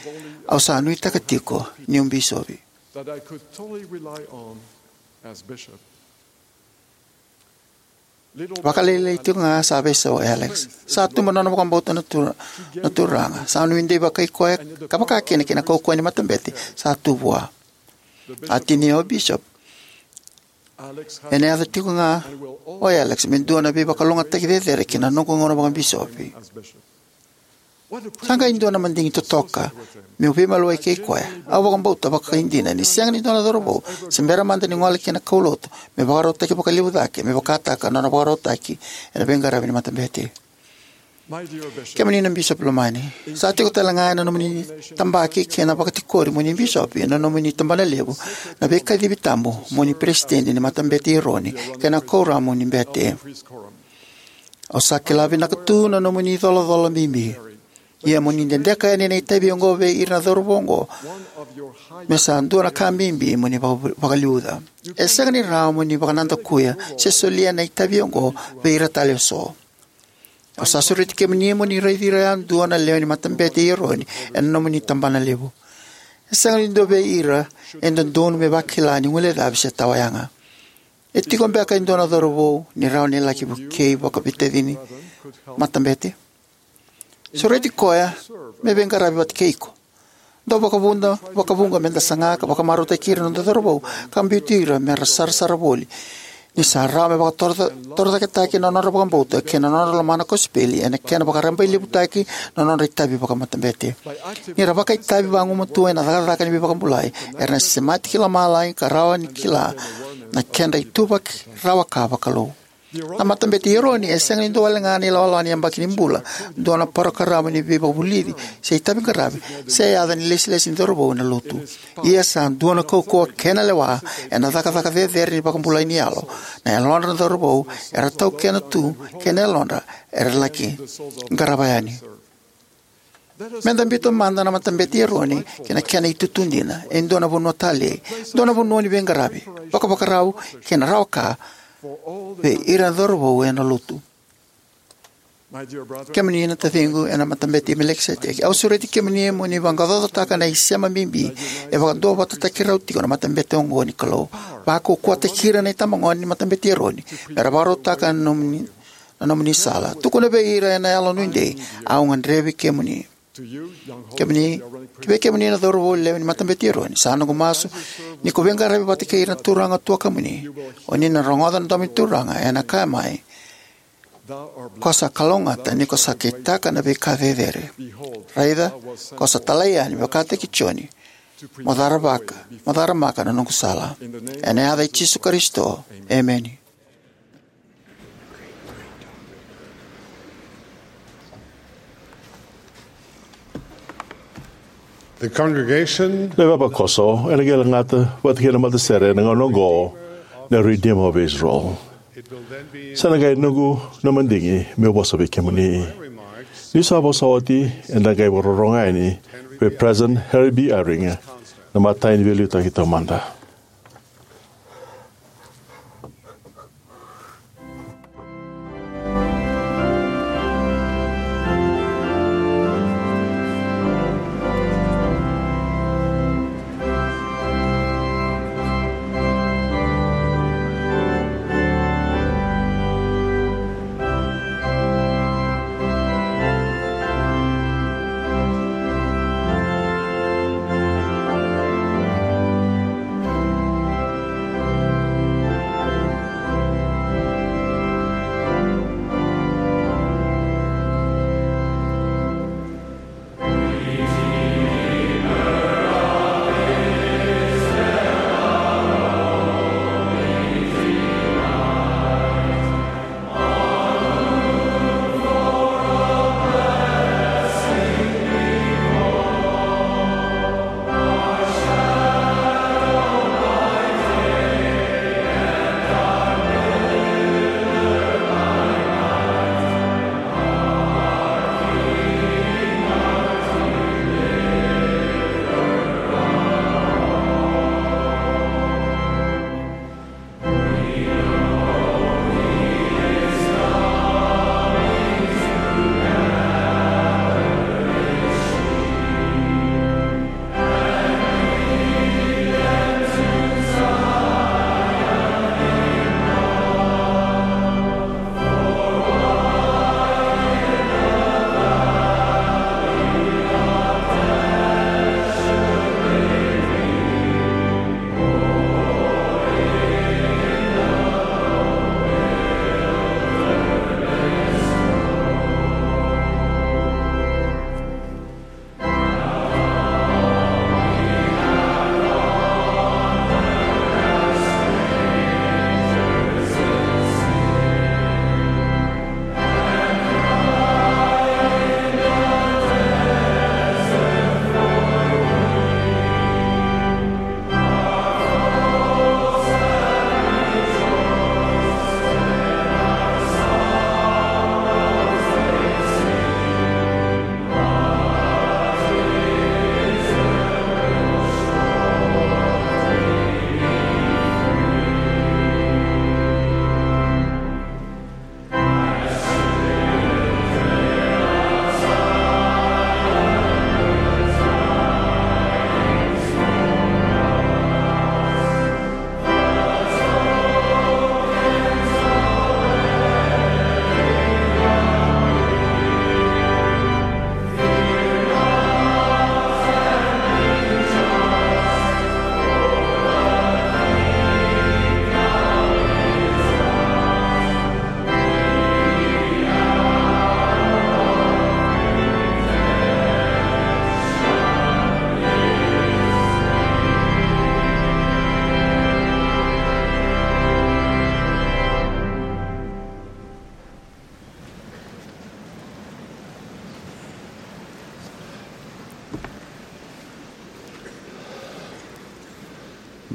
au sa nuitaka tiko niu bisopi. Vakalailai tiko ga sa veisau o Alex. Sa tubu na nona vakabauta na Tura-, na Turaga. Sa nuidei vakai koya ka vaka kina ki na kaukauwa ni matabete sa tu vua. A tinia o bisopi, "Ena yaco tiko ga o Alex me dua na veivakalougatataki cecere ki na noqu gauna vakabisopi." Sa qai dua na madigi totoka meu veimaliwai kei koya. Au vakabauta vakaidina ni sega ni dua na cauravou se bera mada ni gole ki na kaulotu me vakarautaki vakalevu cake me vakataka na nona vakarautaki ena veiqaravi ni matabete. Kemuni na bisopi lomani, sa tiko tale ga ena nomuni tabaki kei na vakatikori mo ni bisopi ena nomuni tabanalevu na veikacivi tabu mo ni peresitedi ni Matabete i Eroni kei na kuoramu ni bete. Au sa kila vinaka tu na nomuni icolacola bibi. Ia mo ni dedeka yani na itavi oqo vei ira na cauravou oqo, me sa dua na ka bibi mo ni vaka- vakaliuca. E sega ni rawa mo ni vakanadakuya se solia na itavi oqo vei ira tale eso. Au sa sureti kemuni mo ni raici ira yadua na lewe ni Matabete i Eroni ena nomuni tabanalevu. E sega ni dua vei ira e dodonu me vakila ni guilecavi se tawayaga. E tiko beka e dua na cauravou ni rawa ni laki vukei vakaveitacini matabete? Sureti koya me veiqaravi vata kei iko. Dau vakavuda, vakavuqa me da saga ka vakamarautaki ira na noda cauravou ka biuti ira me ra sarasara voli ni sa rawa me vakatorocaketaki na nodra vakabauta kei na nodra lomana kosipeli ena kena vakarabailevutaki na nodra itavi vakamatabete. Ni ra vakaitavi vagumatua ena cakacaka ni veivakabulai, era na semati ki lomalagi ka rawa ni kila na kedra ituvaki rawa ka vakalou. Na Matabete i Eroni e sega ni dua wale ga na ilawalawa ni yabaki ni bula, dua na parokaramu ni veivakavulici se itavi qaravi, se yaca ni lesilesi ni cauravou ena lotu. Ia sa dua na kaukauwa kei na lewa ena cakacaka cecere ni vakabulai ni yalo. Na yalodra na cauravou era taukena tu kei na yalodra era laki qarava yani. Me da biuta mada na Matabete i Eroni ki na kena itutu dina, e dua na vanua talei, dua na vanua ni veiqaravi, vakavakarau kei na rawa ka vei ira na cauravou ena lotu. Kemuni na taciqu ena Matabete i Melikiseteki, au sureti kemuni mo ni vaqaqacotaka na isema bibi e vakaduavatataki rau tiko na matabete oqo ni Kalou. Vakaukauwataki ira na itabagone ni Matabete i Eroni me ra vakarautaka na nomuni na nomuni sala. Tukuna vei ira ena yalo nuidei, au gadrevi kemuni. Kemuni, ki vei kemuni na cauravou lewe ni Matabete i Eroni, sa noqu masu ni ko veiqaravi vata kei ira na turaga tuakamuni, o ni na rogoca na domo ni Turaga ena kaya mai, ko sa kalougata ni ko sa kitaka na veika cecere. Raica, ko sa talai yani vakataki Joni, mo caravaka, mo caramaka na noqu sala. Ena yaca i Jisu Karisito, emeni. The congregation. Na ivavakoso ena qai lagata vata kei na matasere ena gauna oqo na Redeemer of Israel. Sa na qai noqu na madigi meu vosa vei kemuni. Ni sa vosa oti eda qai vakarorogo yani vei President Henry B. Eyring, na matai ni veiliutaki taumada.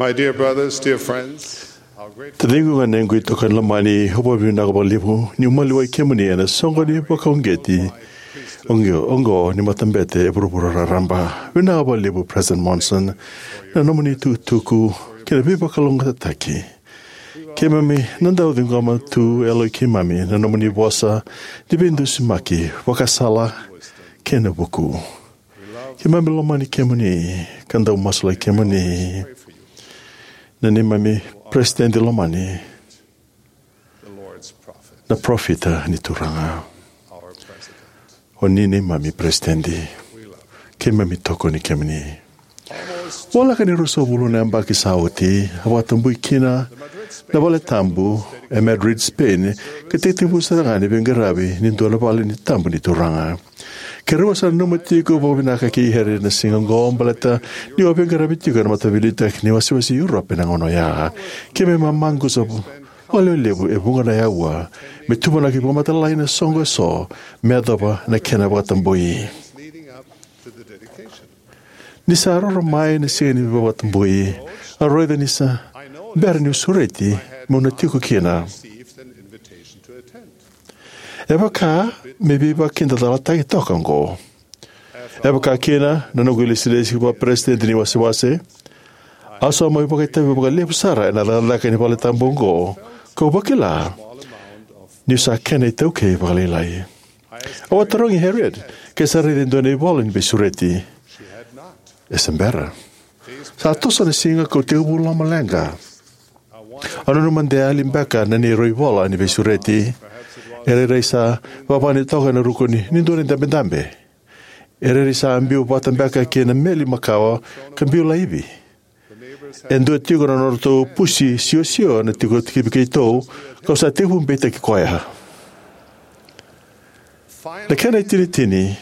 My dear brothers, dear friends, how grateful Taciqu, ganequ, itokani lomani, au vakavinavinaka vakalevu niu maliwai kemuni ena soqoni vakauqeti oqo, oqo ni matabete e vuravura raraba. Vinaka vakalevu, President Monson, na nomuni itukutuku kei na veivakalougatataki. Keimami na dau ciqoma tu e yaloi keimami na nomuni vosa ni veidusimaki, vakasala, kei na vuku. Keimami lomani kemuni ka dau masulaki kemuni. Na neimami peresitedi lomani, na parofita ni Turaga. O ni neimami peresitedi. Keimami tokoni kemuni. Voleka ni ruasagavulu na yabaki sa oti, a vakatabui kina na valetabu e Madrid, Spain, ka tekivu sara ga ni veiqaravi ni dua na vale ni tabu ni Turaga. Keirau sa nanuma tiko vakavinaka kei Harriet na siga oqo baleta niu a veiqaravi tiko ena Mataveiliutaki ni Wasewase i Europe ena gauna oya. Keimami a maqusa vakalevu e vuqa na aua me tuvanaki vakamatailalai na soqo eso me yacova na kena vakatabui. Ni sa roro mai na siga ni vakatabui, au raica ni sa bera niu sureti meu na tiko kina. E vaka me veivakakidacalataki toka oqo. E vaka kina na noqu ilesilesi vakaperesitedi ni wasewase, au sa mai vakaitavi vakalevu sara ena cakacaka ni valetabu oqo, kau vakila niu sa kena itaukei vakalailai. Au a tarogi Harriet ke sa raica e dua na ivola ni veisureti. E se bera. Sa toso na siga kau tekivu lomaleqa. Au nanuma de yali beka na neirau ivola ni veisureti. E rairai sa vavani toka ena ruku ni, ni dua na idabedabe. E rairai sa biu vata beka kei na meli makawa ka biu laivi. E dua tiko na nodratou pusi siosio na tiko tikivi keitou, kau sa tekivu beitaki koya. Na kena itinitini,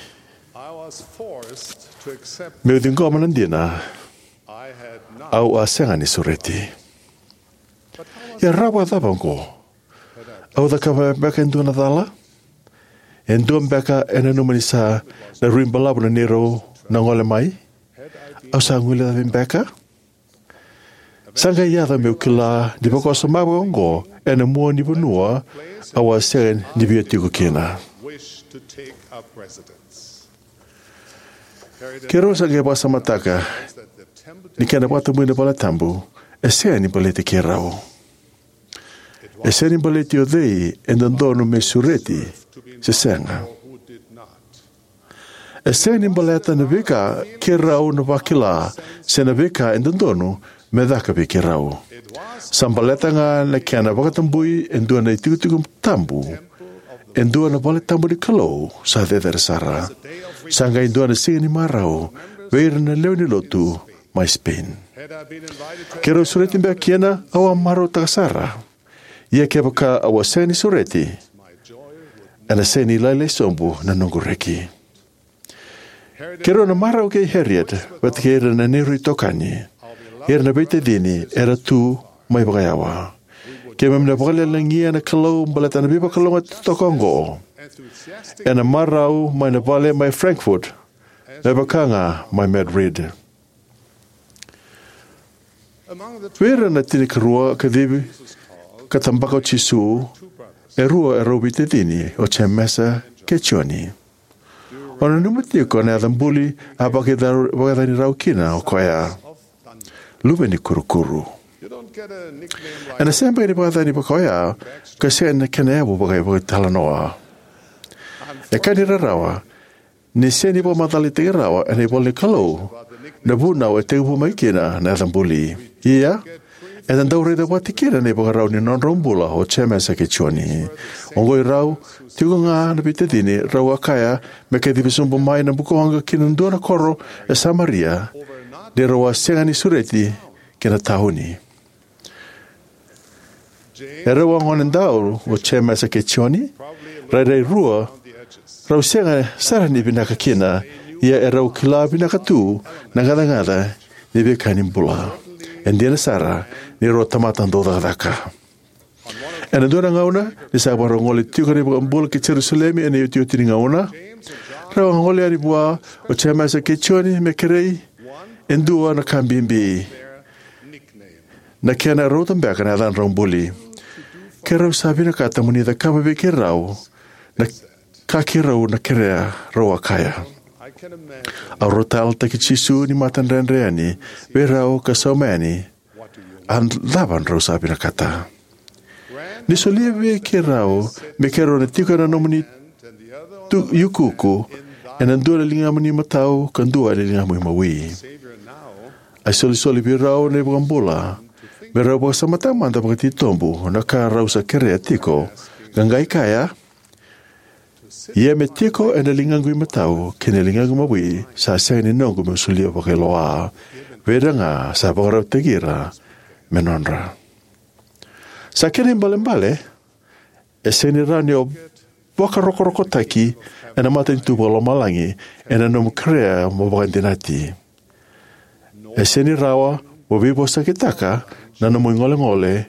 meu ciqoma na dina, au a sega ni sureti. Ia rawa vakacava oqo? Au cakava beka e dua na cala? E dua beka e nanuma ni sa na rui balavu na neirau na gole mai? Au sa guilecavi beka? Sa qai yaco meu kila ni vakawasoma vaka oqo ena mua ni vanua au a sega ni via tiko kina. Keirau sa qai vakasamataka ni kena vakatabui na valetabu e sega ni baleti keirau. E sega ni baleti o cei e dodonu me sureti se sega. E sega ni baleta na veika keirau na vakila se na veika e dodonu me caka vei keirau. Sa baleta ga na kena vakatabui e dua na itikotiko tabu, e dua na vale tabu ni Kalou sa cecere sara. Sa qai dua na siga ni marau vei ira na lewe ni lotu mai Spain. Keirau sureti beka kina, au a marautaka sara. Ia kevaka au a sega ni sureti, ena sega ni lailai sobu na noqu reki. Keirau na marau kei Harriet vata kei ira na neirau itokani, ira na veitacini era tu mai vakayawa. Keimami na vakayalolagilagia na Kalou baleta na veivakalougatataki toka oqo ena marau mai na vale mai Frankfurt, me vaka ga mai Madrid. Vei ira na tinikarua kacivi ka tabaka o Jisu, e rua erau veitacini, o Jemesa kei Joni. O nanuma tiko na yaca buli a vakaicani rau kina o koya, Luve ni Kurukuru. Ena sega beka ni vakayacani vaka oya ka sega na kena yavu vaka, vakaitalanoa. E ka ni rarawa, ni sega ni vakamacalataki rawa ena ivola ni Kalou na vunau e tekivu mai kina na yaca buli. Ia, eda dau raica vata kina na ivakarau ni nodrau bula o Jemesa kei Joni. Oqo i rau tiko ga na veitacini, rau a kaya me kacivi sobu mai na bukawaqa ki na dua na koro e Samaria, ni rau a sega ni sureti ki na tauni. Erau a gonedau o Jemesa kei Joni, rairai rua rau sega sara ni vinaka kina, ia erau kila vinaka tu na gacagaca ni veika ni bula. E dina sara ni rau tamata dau cakacaka. Ena dua na gauna, ni sa vakarau gole tiko na iVakabula ki Jerusalemi ena iotioti ni gauna, rau a gole yani vua o Jemesa kei Joni me kerei e dua na ka bibi. na kena rauta beka na yacadrau buli. Keirau sa vinakata mo ni cakava vei keirau na ka keirau na kerea, rau a kaya. Au raica tale na Turaga ni matadredre yani vei rau ka sauma yani, a cava drau sa vinakata? Ni solia vei keirau me keirau na tiko ena nomuni tu, iukuuku, ena dua na ligamu ni matau ka dua na ligamu imawi. A isolisoli vei rau na iVakabula me rau vakasamataka mada vakatitobu na ka rau sa kerea tiko, ka qai kaya, ia me tiko ena ligaqu imatau kei na ligaqu imawi sa sega ni noqu meu solia vakailoa vei ira ga sa vakarautaki ira me nodra. Sa kena ibalebale, e sega ni rawa ni o vakarokorokotaki ena matanitu vakalomalagi ena nomu kerea mo vakadinati. E sega ni rawa mo veivosakitaka na nomu igolegole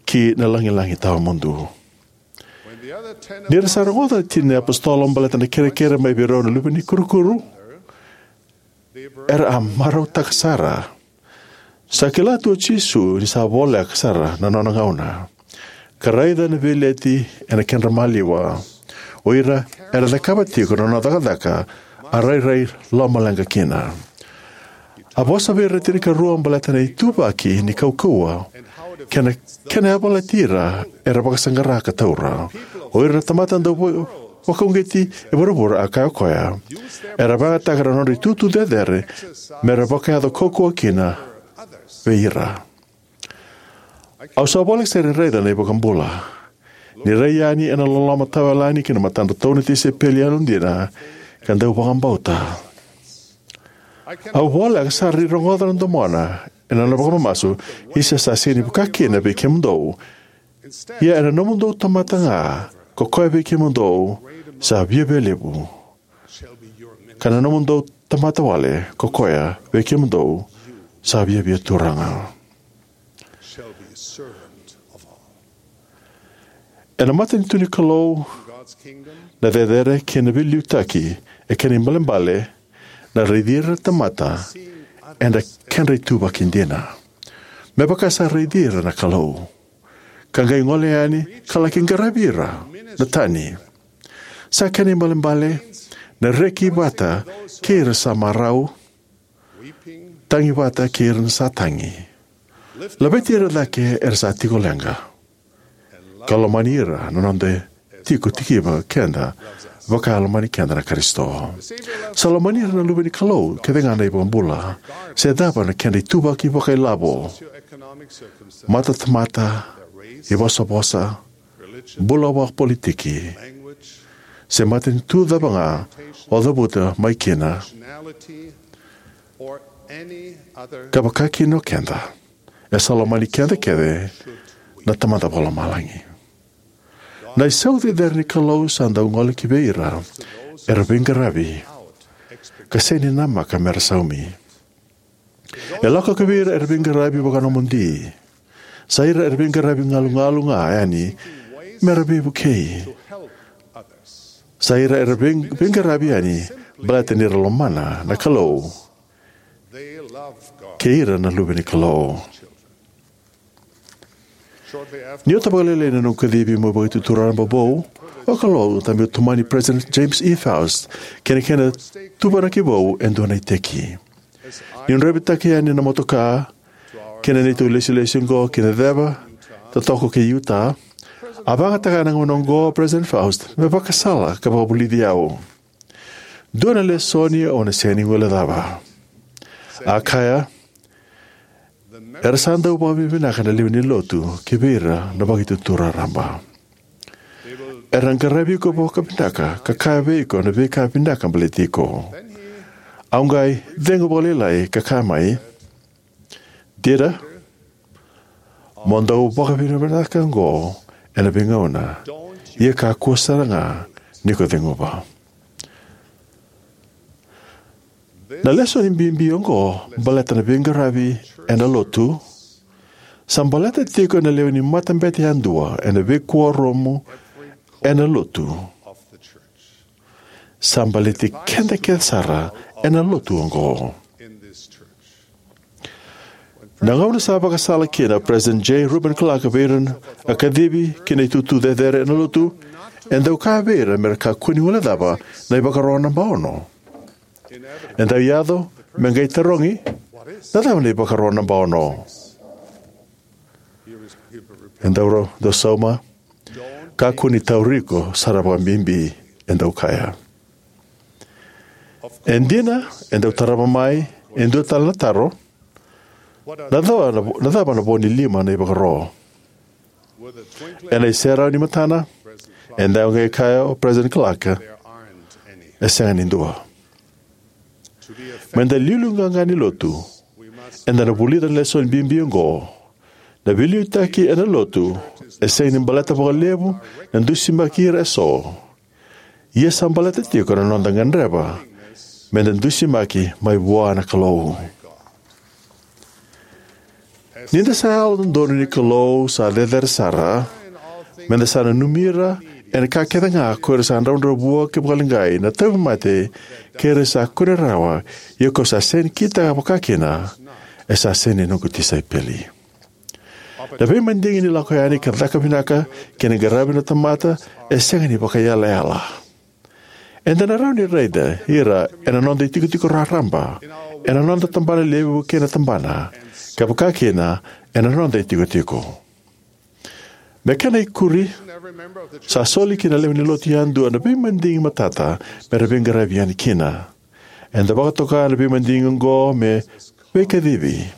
ki na lagilagi tawamudu. Ni ra sa rogoca na tini na iapositolo baleta na kerekere mai vei rau na luve ni kurukuru, era a marautaka sara. Sa kila tu o Jisu ni sa voleka sara na nona gauna, ka raica na veileti ena kedra maliwa. O ira era cakava tiko na nona cakacaka a rairai lomaleqa kina. A vosa vei ira na tinikarua baleta na ituvaki ni kaukauwa kei na kena yavalati ira era vakasaqara ka taura. O ira na tamata dau va-, vakauqeti e vuravura, a kaya o koya, era vakayagataka na nodra itutu cecere me ra vakayaco kaukauwa kina vei ira. Au sa voleka sara ni raica na iVakabula ni rai yani ena loloma tawayalani ki na matadratou na tisaipeli yalodina ka dau vakabauta. Au voleka sara ni rogoca na domona ena nona vakamamasu, isa sa sega ni vaka kina vei kemudou. Ia ena nomudou tamata ga ko koya vei kemudou sa viavialevu, ka na nomudou tamata wale ko koya vei kemudou sa viavia turaga. Ena matanitu ni Kalou, na cecere kei na veiliutaki e kena ibalebale na raici ira na tamata ena kedra ituvaki dina, me vaka sa raici ira na Kalou, ka qai gole yani ka laki qaravi ira na tani. Sa kena ibalebale na reki vata kei ira sa marau, tagi vata kei ira na sa tagi, laveti ira cake era sa tiko leqa, ka lomani ira na noda tiko tikiva keda vaka e lomani keda na Karisito. Sa lomani ira na luve ni Kalou kece ga na iVakabula, se cava na kedra ituvaki vakailavo, matatamata, ivosavosa, bula vakapolitiki, se matanitu cava ga o cavuta mai kina, ka vaka kina o keda, e sa lomani keda kece na Tamada Vakalomalagi. Na isau cecere ni Kalou sa dau gole ki vei ira era veiqaravi ka sega ni namaka mera saumi. E lako ki vei ira era veiqaravi vakanomodi. Sa ira era veiqaravi galugalu ga yani mera veivukei. Sa ira era vei-, veiqaravi yani baleta nira lomana na Kalou kei ira na luve ni Kalou. Ni ota vakalailai na noqu kacivi meu vakaitutu raraba vou, au kalougata meu tomani President James E. Faust kei na kena tuvanaki vou e dua na iteki. Niu draivataka yani na motoka kei na neitou lesilesi oqo ki na ceva totoka kei Utah, a vakayagataka ena gauna oqo o President Faust me vakasala ka vakavulici au. Dua na lesoni au na sega ni guilecava. A kaya, era sa dau vakavinavinaka na lewe ni lotu ki vei ira na vakaitutu raraba. Era qaravi iko vakavinaka ka kaya vei iko na veika vinaka baleti iko. Au qai cegu vakalailai ka kaya mai, Dieter, mo dau vakavinavinaka oqo ena veigauna, ia kakua sara ga ni ko ceguva. Na lesoni bibi oqo baleta na veiqaravi ena lotu sa baleta tiko ena lewe ni matabete yadua ena veikuoramu ena lotu. Sa baleti keda kece sara ena lotu oqo. Na gauna sa vakasala kina o President J. Reuben Clark vei ira a kacivi ki na itutu cecere ena lotu, e dau kaya vei ira me ra kakua ni guilecava na ivakaro naba ono. E dau yaco me qai tarogi, "Na cava na ivakaro naba ono?" E dau, dau sauma, "Kakua ni tauri iko sara vakabibi," e dau kaya. E dina, e dau tarava mai e dua tale na taro, "Na cava na, na cava na vo ni lima na ivakaro?" Ena iserau ni matana, e dau qai kaya o President Clark, "E sega ni dua." Me da liuliu qaqa ni lotu, eda na vulica na lesoni bibi oqo. Na veiliutaki ena lotu e sega ni baleta vakalevu na dusimaki ira eso. Ia sa baleta tiko na noda gadreva me da dusimaki mai vua na Kalou. Ni da sa yalododonu ni Kalou sa cecere sara, me da sa nanumi ira ena ka kece ga ko ira sa dravudravua kei vakaleqai, na tauvimate kei ira sa kune rawa, ia ko sa sega ni kitaka vakakina, e sa sega ni noqu tisaipeli. Na veimadigi ni lako yani ka caka vinaka kei na qaravi na tamata e sega ni vakaiyalayala. Eda na rawa ni raica ira ena noda itikotiko raraba, ena noda tabana levu kei na tabana, ka vakakina ena noda itikotiko. Me kena ikuri, sa soli ki na lewe ni lotu yadua na veimadigi matata me ra veiqaravi yani kina. Eda vakatoka na veimadigi oqo me veikacivi.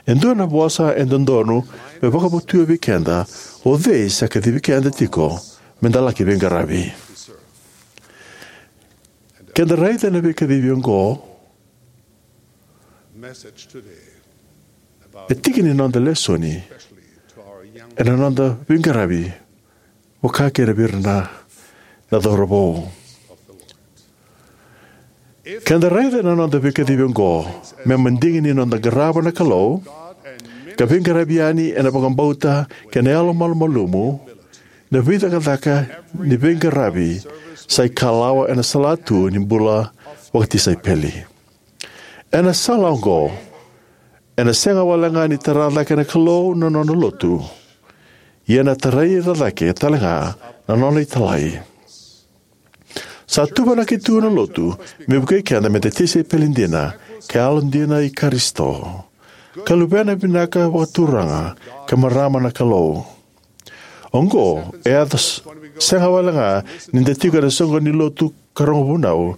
E dua na vosa e dodonu me vakavotuya vei keda, o cei sa kacivi keda tiko me da laki veiqaravi. Keda raica na veikacivi oqo, e tiki ni noda lesoni ena noda veiqaravi, vaka kina vei ira na, na cauravou. Keda raica na noda veikacivi oqo me madigi ni noda qarava na Kalou, ka veiqaravi yani ena vakabauta kei na yalomalumalumu, na veicakacaka ni veiqaravi sa ikalawa ena salatu ni bula vakatisaipeli. Ena sala oqo, ena sega walega ni tara cake na Kalou na nona lotu, ia ena tarai ira cake talega na nona italai. Sa tuvanaki tu na lotu me vukei keda me da tisaipeli dina, ka yalodina i Karisito, ka luvena vinaka vakaturaga, ka marama na Kalou. Oqo e yaco s-, sega walega ni da tiko ena soqo ni lotu ka rogo vunau,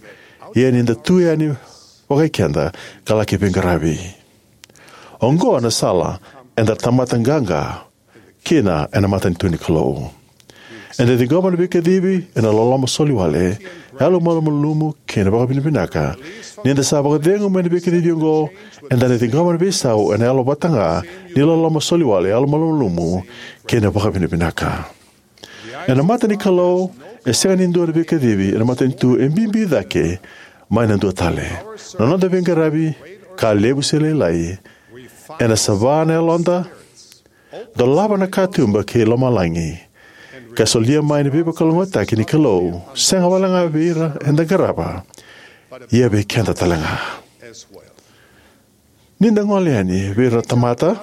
ia ni da tu yani vakai keda ka laki veiqaravi. Oqo na sala eda tamata qaqa kina ena matanitu ni Kalou. Eda ciqoma na veikacivi ena loloma soliwale, yalomalumalumu kei na vakavinavinaka. Ni da sa vakacegu mai na veikacivi oqo, eda na ciqoma na veisau ena yalo vata ga ni loloma soliwale, yalomalumalumu kei na vakavinavinaka. Ena mata ni Kalou, e sega ni dua na veikacivi ena matanitu e bibi cake mai na dua tale. Na noda veiqaravi, ka levu se lailai, ena sava na yaloda, dolava na katuba kei lomalagi, ka solia mai na veivakalougatataki ni Kalou, sega walega vei ira eda qarava, ia vei keda talega. Ni da gole yani vei ira na tamata,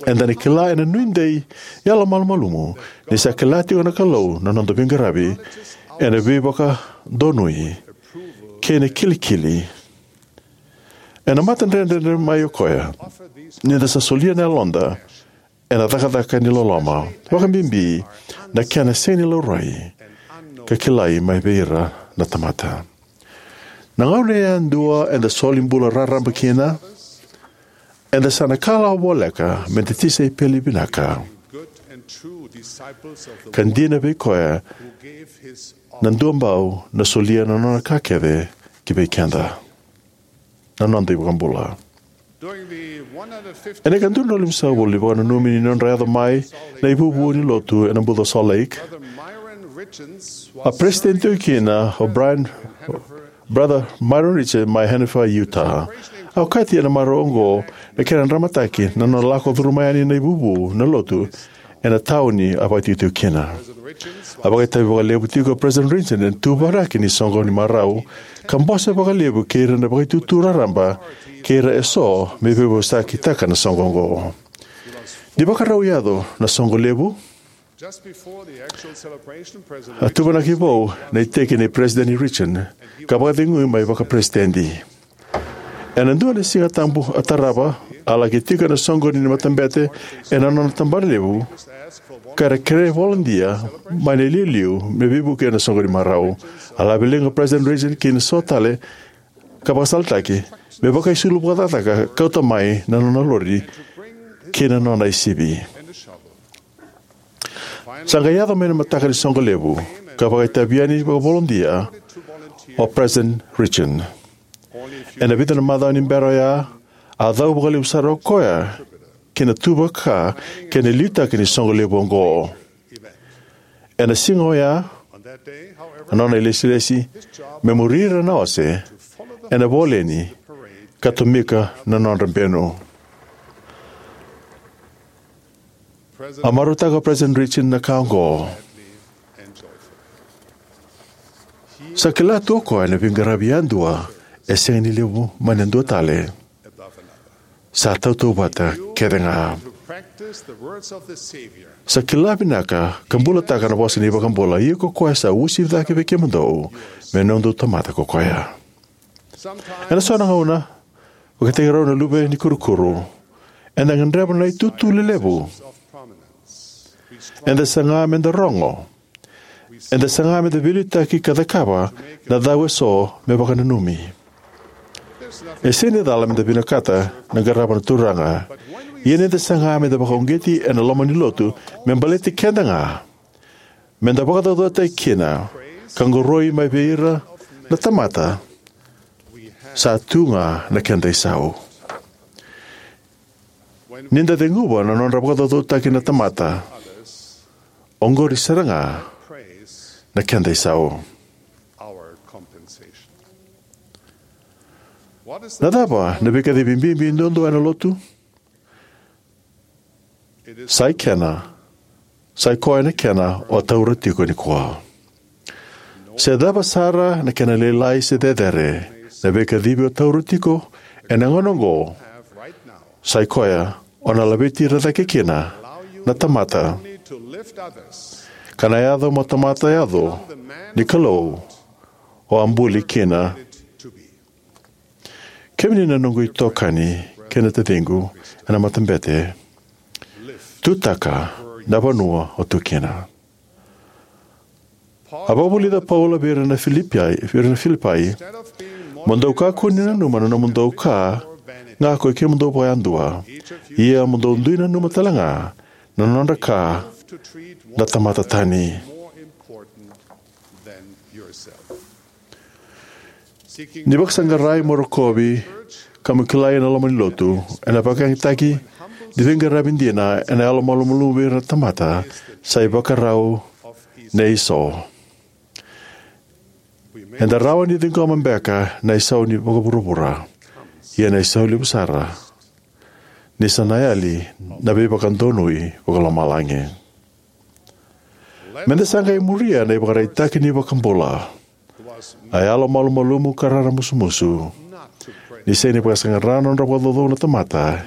eda na kila ena nuidei yalomalumalumu ni sa kila tiko na Kalou na noda veiqaravi ena veivakadonui kei na kilikili. Ena matadredredre mai o koya ni da sa solia na yaloda ena cakacaka ni loloma, vakabibi na kena sega ni laurai ka kilai mai vei ira na tamata. Na gauna yadua eda soli bula raraba kina, eda sa na kalawa voleka me da tisaipeli vinaka, ka dina vei koya na duabau na solia na nona ka kece ki vei keda, na noda iVakabula. Ena ika dua na limasagavulu ni vakananumi ni nodra yaco mai na ivuvu ni lotu ena buca o Salt Lake, a peresitedi tiko kina o Brian, Brother Myron Richards mai Hennifer, Utah. A okati ena marau oqo na kena dramataki na nona lako curuma yani na ivuvu na lotu ena tauni a vakaitikotiko kina. A vakaitavi vakalevu tiko o President Richard ena tuvanaki ni soqo ni marau, ka bose vakalevu kei ira na vakaitutu raraba kei ira eso me veivosakitaka na soqo oqo. Ni vakarau yaco na soqo levu, a tuvanaki vou na iteki nei President Richard ka vakacegui mai vakaperesitedi. Ena dua na Siga Tabu a tarava, a laki tiko ena soqoni ni matabete ena nona tabana levu, ka ra kerea volontia mai na iliuliu me veivuke ena soqo ni marau. A lave liga o President Richard kei na so tale ka vakasalataki me vakaisulu vakacakacaka ka kauta mai na nona lori kei na nona isivi. Sa qai yaco mai na mataka ni soqo levu ka vakaitavi yani vakavolontia o President Richard. Ena vica na macawa ni bera oya, a cau vakalevu sara o koya ki na tuva ka kei na liutaki ni soqo levu oqo. Ena siga oya, a nona ilesilesi me muri ira na ose ena voleni ka tomika na nodra benu. A marautaka o President Richard na ka oqo. Sa kila tu o koya na veiqaravi yadua e sega ni levu mai na dua tale. Sa tautauvata kece ga. Sa kila vinaka ka bulataka na vosa ni iVakabula, ia ko koya sa uasivi cake vei kemudou me noqu tamata ko koya. Ena so na gauna, vakataki rau na luve ni kurukuru, eda gadreva na itutu lelevu. Eda saga meda rogo. Eda saga meda veiliutaki ka cakava na cau eso me vakananumi. E sega ni cala meda vinakata na qarava na Turaga. Ia ni da saga meda vakauqeti ena loma ni lotu me baleti keda ga, meda vakacaucautaki kina ka qoroi mai vei ira na tamata, sa tu ga na keda isau. Ni da ceguva na nodra vakacaucautaki na tamata, oqori sara ga na keda isau. Na cava na veikacivi bibi duadua ena lotu? Sa i kena, sa i koya na kena o taura tiko nikua. Se cava sara na kena lailai se cecere, na veikacivi o taura tiko ena gauna oqo, sa i koya o na laveti ira cake kina na tamata, ka na yaco mo tamata yaco ni Kalou o a buli kina. Kemuni na noqu itokani kei na taciqu ena matabete, tutaka na vanua o tu kina. A vakavulica o Paula vei ira na Filipai, vei ira na Filipai, mo dou kakua ni nanuma na nomudou ka ga ko i kemudou vakayadua, ia mo dou dui nanuma tale ga na nodra ka na tamata tani. Ni vakasaqarai mo rokovi ka mo kilai ena loma ni lotu, ena vakayagataki ni veiqaravi dina ena yalomalumalumu vei ira na tamata, sa ivakarau nei so. Eda rawa ni ciqoma beka na isau ni vakavuravura, ia na isau levu sara ni sa na yali na veivakadonui vakalomalagi. Meda sa qai muria na ivakaraitaki ni iVakabula, a yalomalumalumu ka raramusumusu, ni sega ni vakasaqara na nodra vakacaucau na tamata,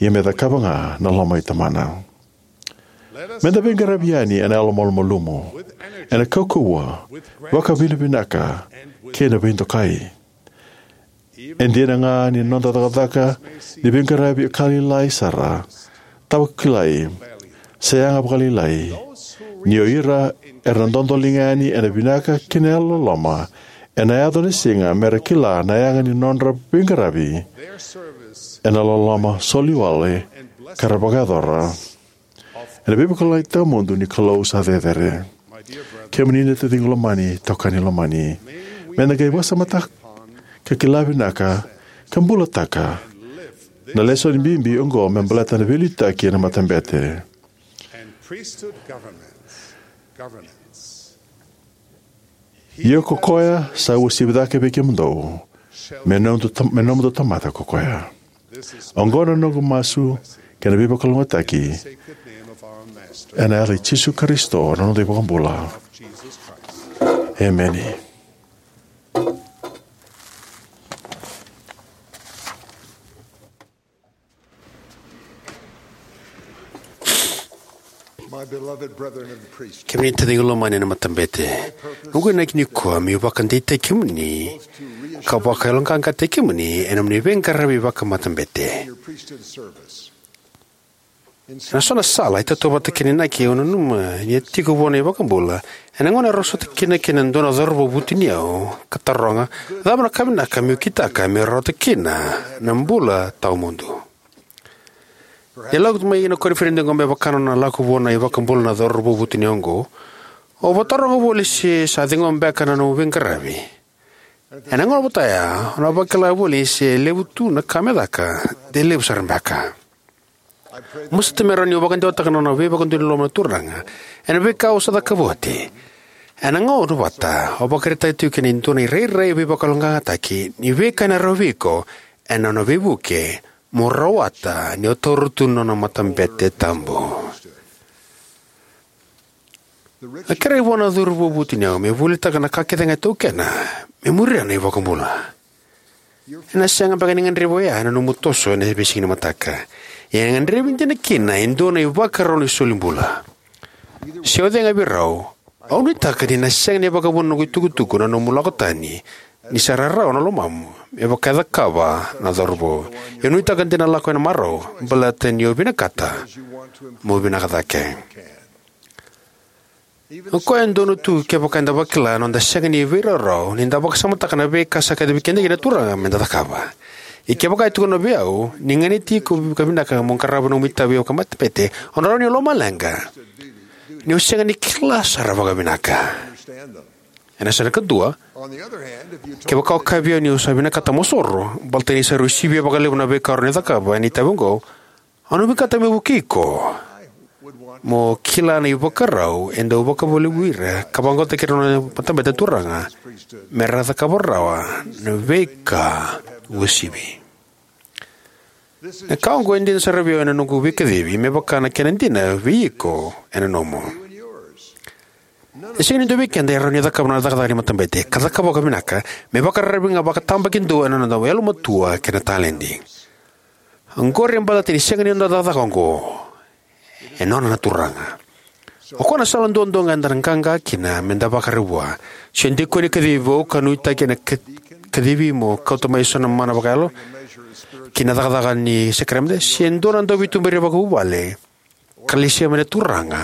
ia me cakava ga na loma i Tamana. Meda veiqaravi yani ena yalomalumalumu, ena kaukauwa, vakavinavinaka, kei na veidokai. E dina ga ni noda cakacaka ni veiqaravi e ka lailai sara, tawa kilai, se yaga vakalailai, ni o ira era na dodoliga yani ena vinaka kei na yalololoma, ena yaco na siga mera kila na yaga ni nodra veiqaravi ena loloma soliwale ka ra vakayacora ena veivakalougatataki tawamudu ni Kalou sa cecere. Kemuni na taciqu lomani, tokani lomani, meda qai vakasamataka, ka kila vinaka, ka bulataka na lesoni bibi oqo me baleta na veiliutaki ena matabete. Ia ko koya sa uasivi cake vei kemudou, me nomudou tam-, me nomudou tamata ko koya. Oqo na noqu masu kei na veivakalougatataki Ena yaca i Jisu Karisito, na noda iVakabula. Emeni. My beloved brethren of the priesthood. Kemuni taciqu lomani ena matabete, noqu inaki nikua meu vakadeitaki kemuni ka vakayaloqaqataki kemuni ena nomuni veiqaravi vakamatabete. Your priesthood service. Ena so na sala e tautauvata kei na inaki au nanuma ni a tiko vua na iVakabula ena gauna erau sota kina kei na dua na cauravou vutuniyau ka taroga, cava na ka vinaka meu kitaka meu rawata kina na bula tawamudu? Ni lako mai na koniferedi oqo me vaka na nona lako vua na iVakabula na cauravou vutuniyau oqo, au vakataroga voli se sa ciqoma beka na nomu veiqaravi. Ena gauna vata ya au na vakila voli se levu tu na ka me caka, de levu sara beka. Masuta me rawa niu vakadewataka na nona veivakadonui loloma na Turaga ena veika au sa cakava oti. Ena gauna vata au vakaraitaka tiko kina e dua na irairai veivakayaloqaqataki ni veika ena rawa vei iko ena nona veivuke mo rawata ni o taura tu na nona matabete tabu. A kerei vua na cauravou vutuniyau me volitaka na ka kece ga e taukena me muria na iVakabula. Ena sega beka ni gadrevi oya ena nomu toso ena veisiga ni mataka. Ia e gadrevi dina kina e dua na ivakarau ni solibula. Se o cega vei rau, au nuitaka ni na sega ni vakavuna na noqu itukutuku na nomu lako tani ni sa rarawa na lomamu me vaka e cakava na cauravou. Ia nuitaka de na lako ena marau baleta ni o vinakata mo vinaka cake. O koya e donu tu kevaka eda vakila na noda sega ni veiraurau ni da vakasamataka na veika sa kacivi keda kina na Turaga me da cakava. Ia kevaka e tukuna vei au ni ganiti iko ka vinaka mo qarava na nomu itavi vakamatabete, au na rawa niu lomaleqa ni o sega ni kila sara vakavinaka. Ena yasana kadua, kevaka o kaya vei au niu sa vinakata mo soro baleta ni sa rui sivia vakalevu na veika o rawa ni cakava ena itavi oqo, au na vinakata meu vukei iko mo kila na ivakarau e dau vakavolivolita ka vaqota kina na nona matabete na Turaga me ra cakava rawa na veika uasivi. Na ka oqo e dina sara vei au ena noqu veikacivi me vaka na kena dina vei iko ena nomu. E sega ni dua vei keda e rawa ni cakava na cakacaka ni matabete ka cakava vakavinaka me vakararavi ga vakatabakidua ena noda yalomatua kei na taledi. Oqori e baleta ni sega ni noda cakacaka oqo, e nona na Turaga. O koya na sala duadua ga eda na qaqa kina me da vakararavi vua. Se o dikoni kacivi vou ka nuitaki ena ka- kacivi mo kauta mai eso na mana vakayalo ki na cakacaka ni sakaramede, se dua na dauveituberi vakavuvale ka lesia mai na Turaga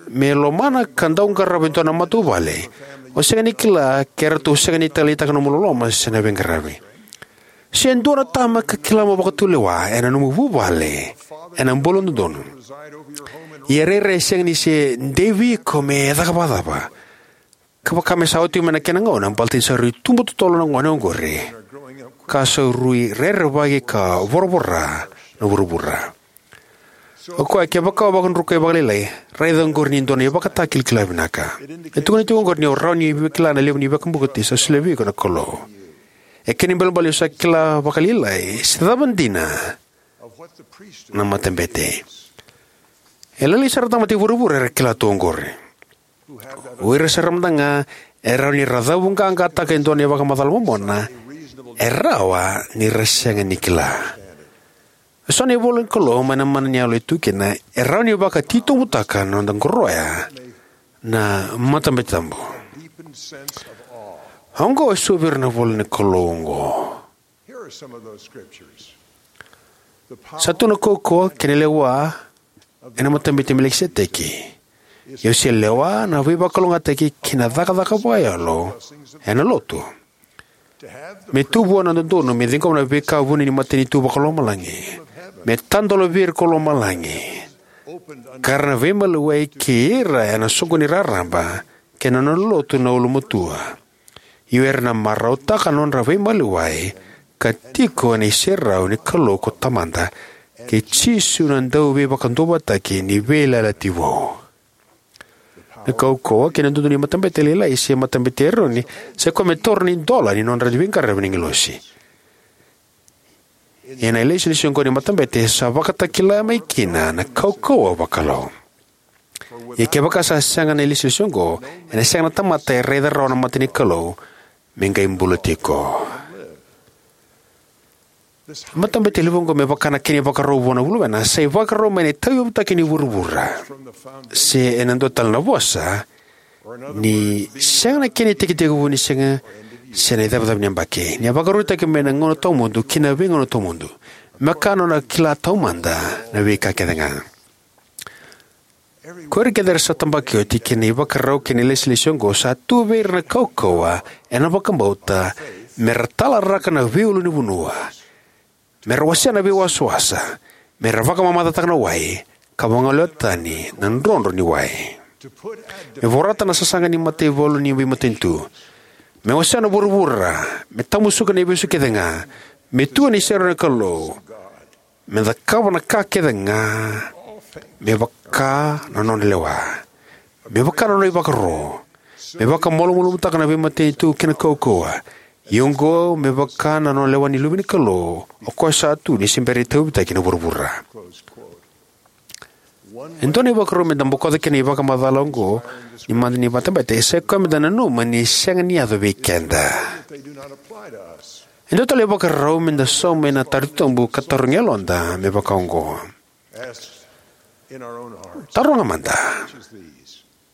me lomana ka dau qarava e dua na matavuvale, o sega ni kila ke ratou sega ni taleitaka nomu loloma se na veiqaravi. Se dua na tama ka kila mo vakatulewa ena nomu vuvale ena bula dodonu. Ia rairai e sega ni se dei vei iko me caka vakacava. Ka vaka me sa oti mai na kena gauna baleta ni sa rui tubu totolo na gone oqori ka sa rui rerevaki ka voravora na vuravura. O koya kevaka o vakadrukai vakalailai, raica oqori ni dua na ivakatakilakila vinaka. E tukuni tiko oqori ni o rawa ni kila na levu ni vakabauti sa solia vei iko na Kalou. E kena ibalebale o sa kila vakalailai se cava dina na matabete. E lailai sara na tamata i vuravura era kila tu oqori. O ira sara mada ga e rawa ni ra cavuqaqataka e dua na ivakamacala momona, e rawa ni ra sega ni kila. E so na ivola ni Kalou mai na mana ni yalo e tu kina e rawa ni vakatitobutaka na noda qoroya na matabete tabu. Oqo e so vei ira na ivola ni Kalou oqo. Sa tu na kaukauwa kei na lewa ena matabete i Melikiseteki. Ia o se lewa na veivakalougatataki kei na cakacaka vakayalo ena lotu. Me tu vua na dodonu me ciqoma na veika vuni ni matanitu vakalomalagi, me tadola vei ira ko lomalagi, ka ra na veimaliwai kei ira ena soqoni raraba kei na nona lotu na ulumatua. Io era na marautaka na nodra veimaliwai ka tiko ena iserau ni Kalou ko Tamada kei Jisu na dauveivakaduavatataki ni Veiyalayalati Vou. Na kaukauwa kei na dodonu ni matabete lailai se matabete Eroni sa ikoya me taura na idola ni nodra veiqaravi na agilosi. Ena ilesilesi oqo ni matabete sa vakatakila mai kina na kaukauwa vakalou. Ia kevaka sa sega na ilesilesi oqo, ena sega na tamata e raica rawa na mata ni Kalou me qai bula tiko. Na matabete levu oqo, me vaka na kena ivakarau vua na luvena, sa ivakarau mai na itauyavutaki ni vuravura, se ena dua tale na vosa, ni sega na kena itekitekivu ni siga se na icavacava ni yabaki, ni a vakarautaki mai na gauna tawamudu ki na veigauna tawamudu, me vaka na nona kila taumada na veika kece ga. Ko ira kece era sa tabaki oti ki na ivakarau kei na ilesilesi oqo, sa tu vei ira na kaukauwa ena vakabauta me ra talaraka na veiulunivanua, me ra wasea na veiwasawasa, me ra vakamamacataka na wai, ka vagolea tani na drodro ni wai, me vorata na sasaga ni mataivalu ni veimatanitu, me wasea na vuravura, me tamusuka na ivesu kece ga, me tu ena iserau ni Kalou, me cakava na ka kece ga me vaka na nona lewa, me vaka na nona ivakaro, me vakamalumalumutaka na veimatanitu kei na kaukauwa, ia oqo me vaka na nona lewa ni Luve ni Kalou, o koya sa tu ni se bera ni tauyavutaki na vuravura. E dua na ivakarau me da bokoca kina na ivakamacala oqo ni mada ni matabete, e sa i koya me da nanuma ni sega ni yaco vei keda. E dua tale na ivakarau me da sauma ena taro titobu ka tarogi yaloda me vaka oqo. Taroga mada: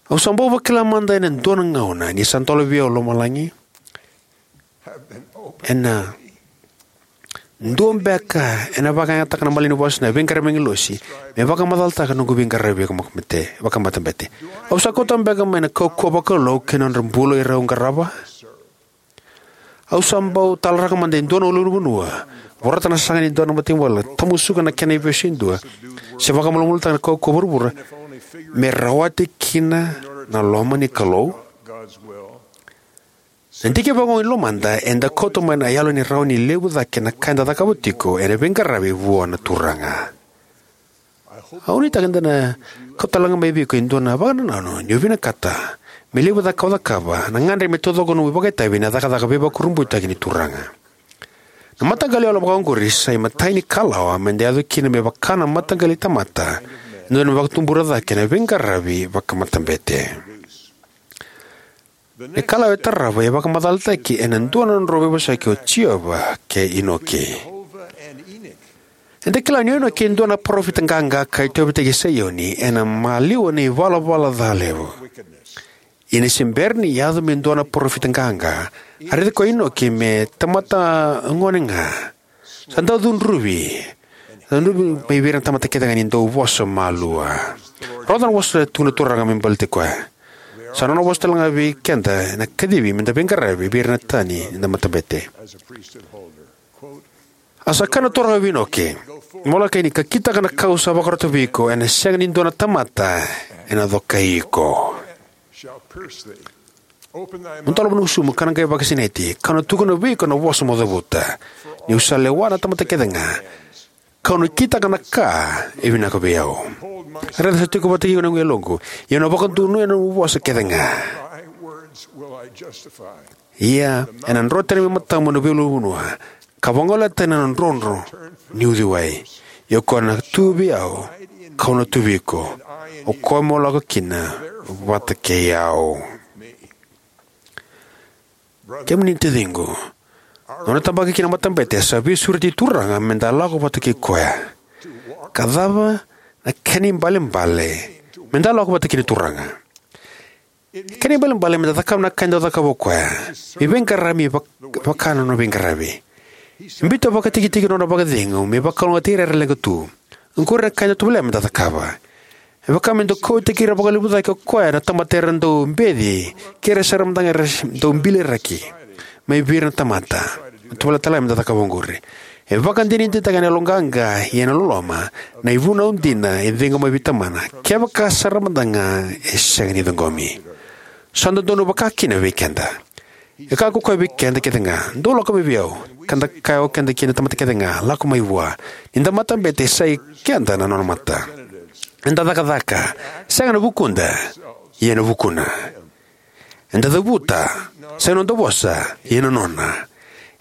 Au sa bau vakila mada ena dua na gauna ni sa dola vei au lomalagi ena dua beka ena vakayagataka na malanivosa na veiqaravi agilosi me vakamacalataka na noqu veiqaravi vakama-, vakamatabete? Au sa kauta beka mai na kaukauwa vakalou kei na nodra bula o ira au qarava? Au sa bau talaraka mada e dua na ulunivanua, vorata na sasaga ni dua na mataivalu, tamusuka na kena ivesu e dua, se vakamalumalumutaka na kaukauwa vuravura me rawati kina na loma ni Kalou? Na dikeva oqo ni lomada eda kauta mai na yalo ni rawa ni levu cake na ka eda cakava tiko ena veiqaravi vua na Turaga. Au nuitaka ni da na kauta tale ga mai vei iko e dua na vakanananu ni o vinakata me levu cake ka o cakava na gagadre me taucoko na nomu ivakaitavi ena cakacaka veivakurabuitaki ni Turaga. Na mataqali yalo vakaoqori sa imatai ni kalawa me da yaco kina me vaka na mataqali tamata ena dodonu me vakatubura cake na veiqaravi vakamatabete. Na ikalawa e tarava e vakamacalataki ena dua na nodrau veivosaki o Jiova kei Inoke. Eda kila ni o Inoke e dua na parofita qaqa ka itauyavutaki Saioni ena maliwa ni ivalavala ca levu. Ia ni se bera ni yaco me dua na parofita qaqa, a raici koya o Inoke me tamata gone ga. Sa dau cudruvi. Sa cudruvi mai vei ira na tamata kece ga ni dau vosa malua. Rogoca na vosa e tukuna na Turaga me baleti koya. Sa nona vosa tale ga vei keda ena kacivi me da veiqaravi vei ira na tani ni da matabete. A sa kaya na Turaga vei Inoke, mo lako yani ka kitaka na ka au sa vakarota vei iko, ena sega ni dua na tamata ena cokai iko. Mo dola na nomu gusumu, ka na qai vakasinaiti, kau na tukuna vei iko na vosa mo cavuta. Niu sa lewa na tamata kece ga, kau na kitaka na ka e vinaka vei au. Raica, sa tiko vata kei iko na noqu yaloqu, ia au na vakadonuya na nomu vosa kece ga. Ia ena dro tani mai matamu na veiulunivanua, ka vagolea tani na drodro ni uciwai. Ia o koya na tu vei au, kau na tu vei iko, o koya mo lako kina vata kei au. Kemuni na taciqu, na nona tabaki kina na matabete sa veisureti Turaga me da lako vata kei koya. Ka cava na kena ibalebale me da lako vata kei na Turaga? Kena ibalebale me da cakava na ka e dau cakava o koya, me veiqaravi me vak-, vaka na nona veiqaravi. E biuta vakatikitiki na nona vakacegu me vakalougatataki ira era leqa tu. Oqori na ka e dau tovolea me da cakava. E vaka me dau kauwaitaki ira vakalevu cake o koya na tamata era dau beci kei ira sara mada ga era dau biliraki mai vei ira na tamata. E tovolea tale ga me da cakava oqori. E vakadinadinataka ena yaloqaqa ia ena loloma na ivunau dina e ciqoma vei Tamana, kevaka sara mada ga e sega ni ciqomi. Sa dodonu vakakina vei keda. E kaya ko koya vei keda kece ga, dou lako mai vei au. Ka da kaya o keda kei na tamata kece ga, lako mai vua. Ni da matabete, sa i keda na nona mata. Eda cakacaka, sega ena vukuda, ia ena vukuna. Eda cavuta, sega ena noda vosa, ia ena nona.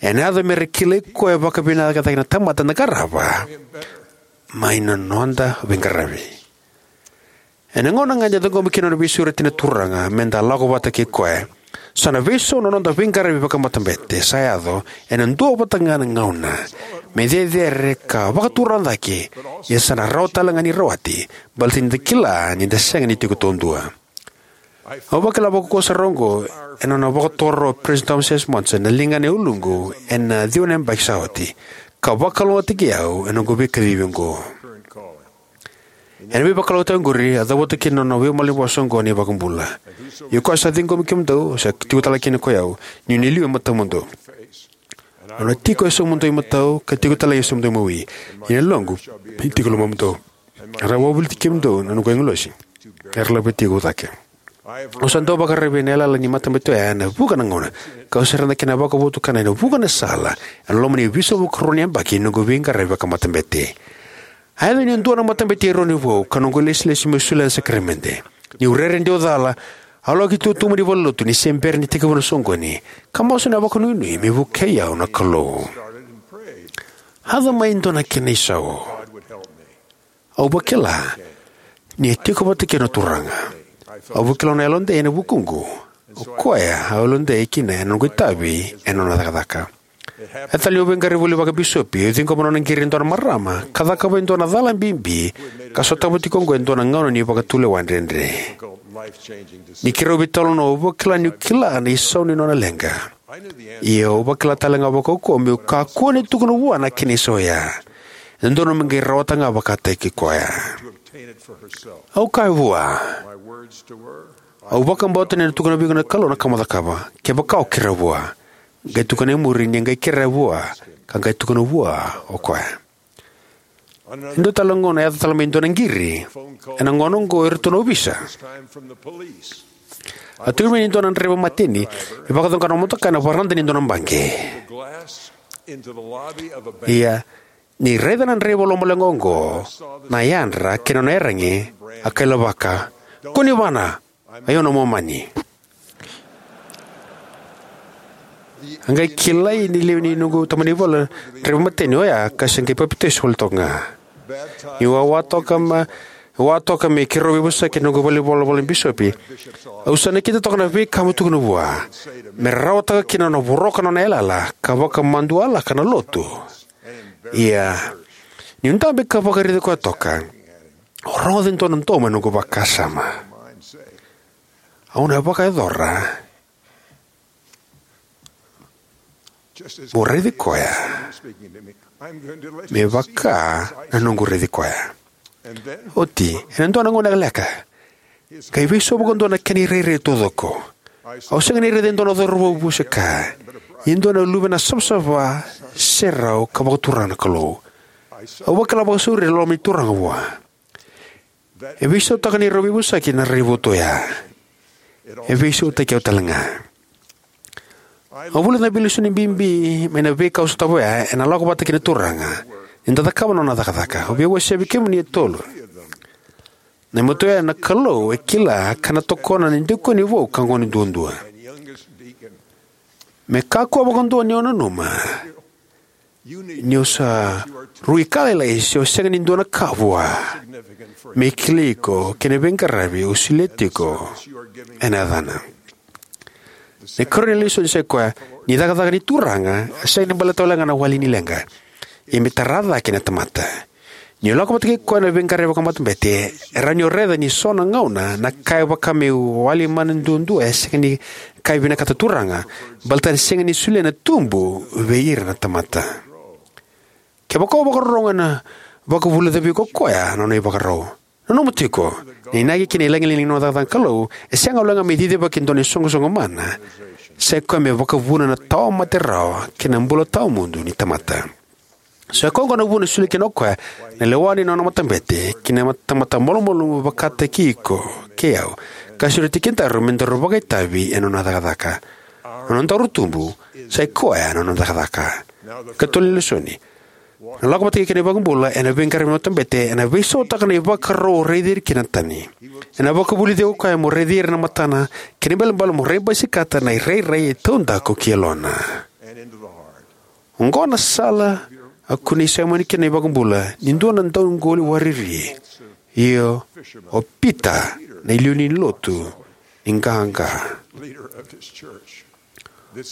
Ena yaco me ra kilai koya vakavinaka cake na tamata eda qarava mai na noda veiqaravi. Ena gauna ga eda ciqoma kina na veisureti na Turaga me da lako vata kei Koya, sa na veisau na noda veiqaravi vakamatabete sa yaco ena duavata ga na gauna, me cecere ka vakaturaga cake, ia sa na rawa talega ni rawati, baleta ni da kila ni da sega ni tiko taudua. Au vakila vakaukauwa sara oqo ena nona vakatoro o Peresitedi Thomas S. Monson na ligana e uluqu ena ciwa na yabaki sa oti, ka vakalougatataki au ena noqu veikacivi oqo. Ena veivakalougatataki oqori, a cavuta kina na nona veimalanivosa oqo na iVakabula: Ia ko koya sa ciqomi kemudou, sa tiko talega kina ko i au, niu na liu e matamudou. Au na tiko e yasamudou i matau, ka tiko talega e yasamudou i mawi. Ia na yaloqu me tiko e lomamudou. Era na wavoliti kemudou na noqu agilosi, era na laveti iko cake. Au sa dau vakararavi ena yalayala ni matabete oya ena vuqa na gauna, kau sa raica na kena vakavotukana ena vuqa na sala ena loma ni veisau vakarua ni yabaki ni noqu veiqaravi vakamatabete. A yaco niu dua na matabete e rua ni vou ka noqu ilesilesi meu solia na sakaramede. Niu rere dewa cala, au lako ki tuba ni valenilotu ni se bera ni tekivu na soqoni, ka masu ena vakanuinui me vukei au na Kalou. A yaco mai e dua na kena isau. Au vakila ni a tiko vata kei au na Turaga. Au vakila nona yalodei ena vukuqu. O Koya au yalodei kina ena noqu itavi ena nona cakacaka. A yaco ni veiqaravi voli vakabisopi, au ciqoma nona qiri e dua na marama ka cakava e dua na cala bibi ka sotava tiko oqo e dua na gauna ni vakatulewa dredre. Ni keirau veitalanoa, au vakila niu kila na isau ni nona leqa. Ia au vakila talega vakaukauwa meu kakua ni tukuna vua na kena isau oya. E dodonu me qai rawata ga vakataki koya. Au kaya vua, au vakabauta ni na tukuna vei iko na Kalou na ka mo cakava. Kevaka o kerea vua, qai tukuna e muri ni qai kerea vua, ka qai tukuna vua o koya. E dua tale na gauna a yaco tale mai e dua na qiri. Ena gauna oqo eratou na ovisa. A tukuni mai ni dua na draiva mateni e vakacoqa na motoka ena varada ni dua na baqe. Ia, ni raica na draiva lomaleqa oqo na yadra kei na nona iyaragi, a kailavaka, "Kua ni vana, o yau na Momani." A qai kilai ni lewe ni noqu tabana ni vale na draiva mateni oya ka se qai papitaiso voli toka ga. Niu a wa toka ma, wa toka me keirau veivosaki ena noqu valenivolavola na bisopi, au sa nakita toka na veika meu tukuna vua me rawataka kina na nona voroka na nona yalayala ka vakamadualaka na lotu. Ia, niu dabe ka vakaraici koya toka, au rogoca e dua na domo ena noqu vakasama. Au na vakayacora. Mo raici koya me vaka na noqu raici koya. Oti, ena dua na gauna lekaleka, qai veisau vakadua na kena irairai taucoko. Au sega ni raica e dua na cauravou vusekaya, e dua na luve na savasava, serau ka vakaturaga na Kalou. Au vakila vakasauri na loma ni Turaga vua. E veisautaka na neirau veivosaki na raivotu oya. E veisautaki au talega. Au vulica na veilesoni bibi mai na veika au sotava oya ena lako vata kei na Turaga ni da cakava na nona cakacaka. Au via wasea vei kemuni e tolu. Na imatai oya, na Kalou e kila ka na tokona na dikoni vou ka gone duadua. Me kakua vakadua ni o nanuma ni o sa rui ka lailai se o sega ni dua na ka vua, me kilai iko kei na veiqaravi o solia tiko ena yacana. Na ikarua ni lesoni sa i koya ni cakacaka ni Turaga e sega ni baleta walega na wali ni leqa, ia me tara cake na tamata. Ni o lako vata kei koya ena veiqaravi vakamatabete, e rawa ni o raica ni so na gauna na ka e vaka me wali mana duadua e sega ni ka e vinakata na Turaga, baleta ni sega ni solia na tubu vei ira na tamata. Kevaka o vakarorogo, ena vakavulica vei iko o koya na nona ivakarau. Nanuma tiko, na inaki kei na lagilagi ni nona cakacaka na Kalou e sega walega me cicivaki e dua na isoqosoqo mana. Sa i koya me vakavuna na tawamate rawa kei na bula tawamudu ni tamata. Sa i koya oqo na vuna e solia kina o koya na lewa ni nona matabete ki na tamata malumalumu vakataki iko kei au, ka sureti kedaru me daru vakaitavi ena nona cakacaka. Na nodaru tubu sa i koya na nona cakacaka. Ka tolu ni lesoni, na lako vata kei na iVakabula ena veiqaravi ni matabete ena veisautaka na ivakarau o raici ira kina na tani. Ena vakavulici iko o koya mo raici ira ena matana kei na ibalebale mo raibasikata na irairai e taudaku ki yalona. Oqo na sala a kunei Saimoni kina na iVakabula ni dua na dauqoli wariri. Io, o Pita, na iliuliu ni lotu, ni qaqa.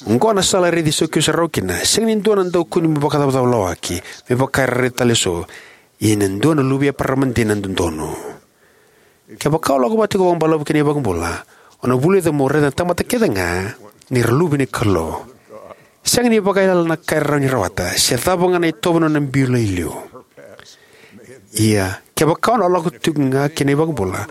Oqo na sala e raici Sakiu sa rawa kina. Sega ni dua na daukaulotu me vakacavacava lawaki, me vaka era raica tale eso, ia e dua na luve i Eparaama dina dodonu. Kevaka o lako vata tiko vakabalavu ki na iVakabula, o na vulica mo raica na tamata kece ga ni ra luve ni Kalou. Sega ni vakaiyalayala na ka e rawa ni rawata, se cava ga na itovo ni nona bula e liu. Ia, kevaka o na lako tiko ga ki na iVakabula,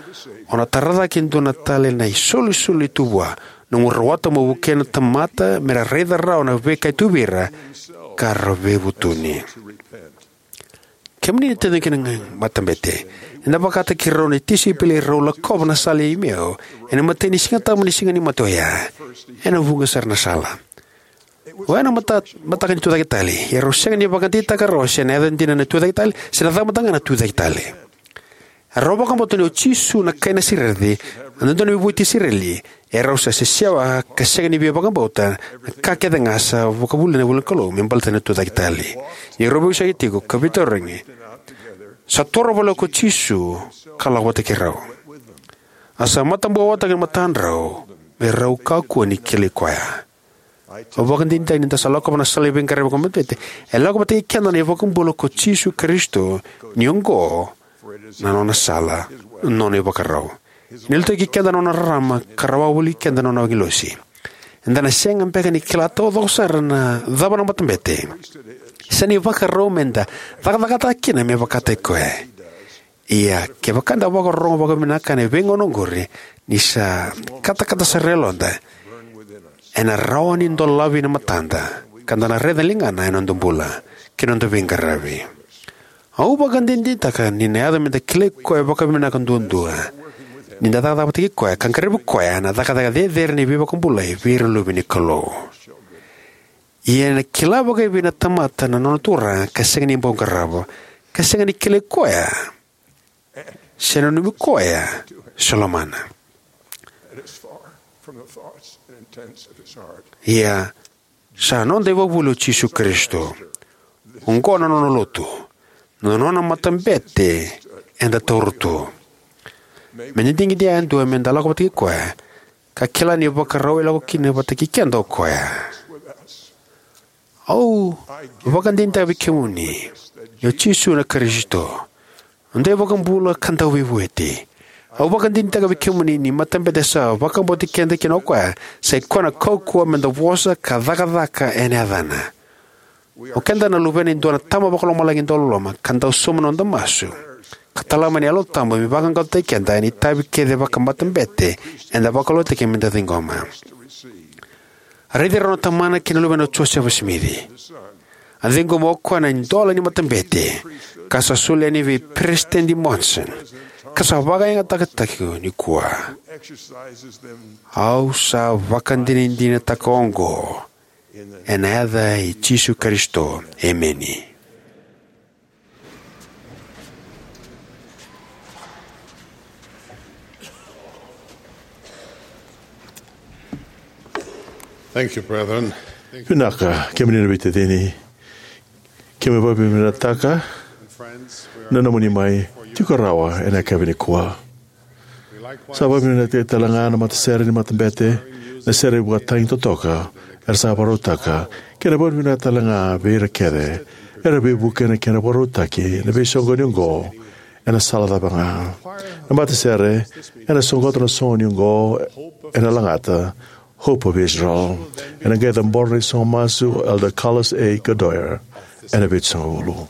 o na tara cake e dua tale na isolisoli e tu vua, nomu rawata mo vukei na tamata me ra raica rawa na veika e tu vei ira, ka ra veivutuni. Kemuni na taciqu kei na matabete, eda vakataki rau na tisaipeli rau lakova na sala i Emeo ena imatai ni Sigatabu ni Siga ni Mate oya. Ena vuqa sara na sala. Oya na mata, mataka ni Tucaketale, ia rau sega ni vakadeitaka rawa se na yaca dina na Tucaketale, se na cava mada ga na Tucaketale. Erau vakabauta ni o Jisu na kai Nasareci, a dodonu me vueti Isireli, erau sa sesewa ka sega ni via vakabauta na ka kece ga sa vakavulica na ivolanikalou me baleta na Tucaketale. Ni rau veivosaki tiko ka veitarogi, sa toro voleka ko Jisu ka lako vata kei rau. A sa matabokotaki na matadrau me rau kakua ni kilai koya. Au vakadinadinataka ni da sa lakova na sala ni veiqaravi vakamatete, e lako vata kei keda na iVakabula ko Jisu Karisito, ni oqo na nona sala, na nona ivakarau. Ena liutaki keda na nona rarama ka rawaka voli keda na nona agilosi. Eda na sega beka ni kila taucoko sara na cava na matabete. Sa na ivakarau meda cakacakataka kina me vakataki koya. Ia, kevaka eda vakarorogo vakavinaka ena veigauna oqori, ni sa katakata sara na yaloda, ena rawa ni dolavi na matada, ka da na raica na ligana ena noda bula kei na noda veiqaravi. Au vakadinadinataka ni na yaco meda kilai koya vakavinaka duadua ni da cakacaka vata kei koya ka qaravi koya ena cakacaka cecere ni veivakabulai vei ira na luve ni Kalou. Ia ena kila vakaevei na tamata na nona turaga ka sega ni bau qarava, ka sega ni kilai koya, se nanumi koya, se lomana? Ia, sa noda ivakavuvuli o Jisu Karisito. Oqo na nona lotu, na nona matabete eda taura tu. Meda digidigi yadua meda lako vata kei koya, ka kila na ivakarau e lako kina vata kei keda o koya. Au vakadinadinataka vei kemuni ni o Jisu na Karisito, noda iVakabula ka Dauveivueti. Au vakadinadinataka vei kemuni ni matabete sa vakabauti keda kina o koya, sa i koya na kaukauwa meda vosa ka cakacaka ena yacana. O keda na luvena e dua na Tama Vakalomalagi dauloloma, ka dau sauma na noda masu ka tala mai na Yalo Tabu me vaqaqacotaki keda ena itavi kece vakamatabete eda vakalougatataki meda ciqoma. A raici rau na tamana kei na luvena o Josefa Simici. A ciqoma o koya na idola ni matabete, ka sa solia yani vei Peresitedi Monson, ka sa vakayagataki nikua. Au sa vakadinadinataka oqo ena yaca i Jisu Karisito. Emeni. Thank you, brethren. Vinaka, kemuni na veitacini. Keimami vakavinavinakataka na nomuni mai tiko rawa ena yakavi nikua. Sa vakavinavinakataki tale ga na matasere ni matabete, na sere vakatagi totoka era sa vakarautaka, kei na vakavinavinaka tale ga vei ira kece era veivuke ena kena vakarautaki na veisoqoni oqo ena sala cava ga. Na matasere ena soqota na soqoni oqo ena lagata Hope of Israel. Ena qai cabora na isogo masu o Elder Carlos A. Godoyer ena Vitusagavulu.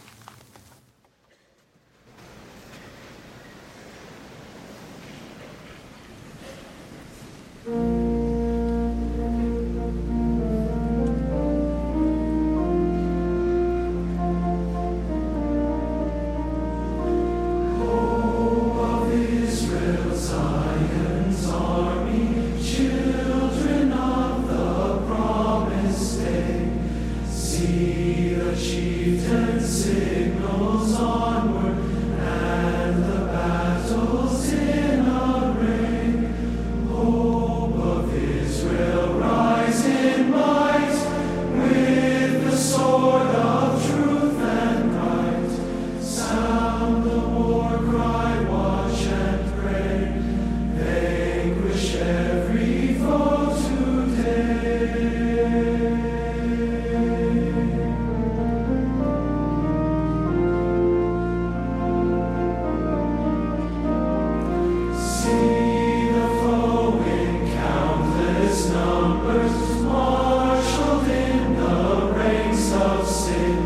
Numbers marshaled in the ranks of sin.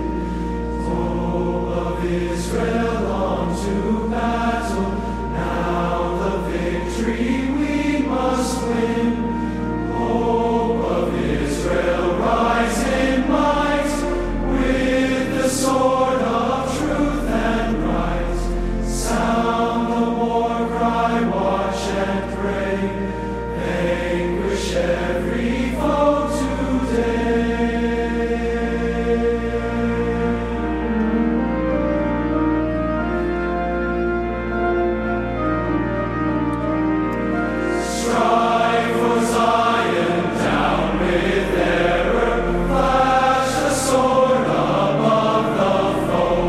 Hope of Israel on to battle. Now the victory we must win. Hope of Israel, rise in might. With the sword of truth and right, sound the war cry, watch and pray. Vanquish every foe today. Strive for Zion, down with error, flash the sword above the foe.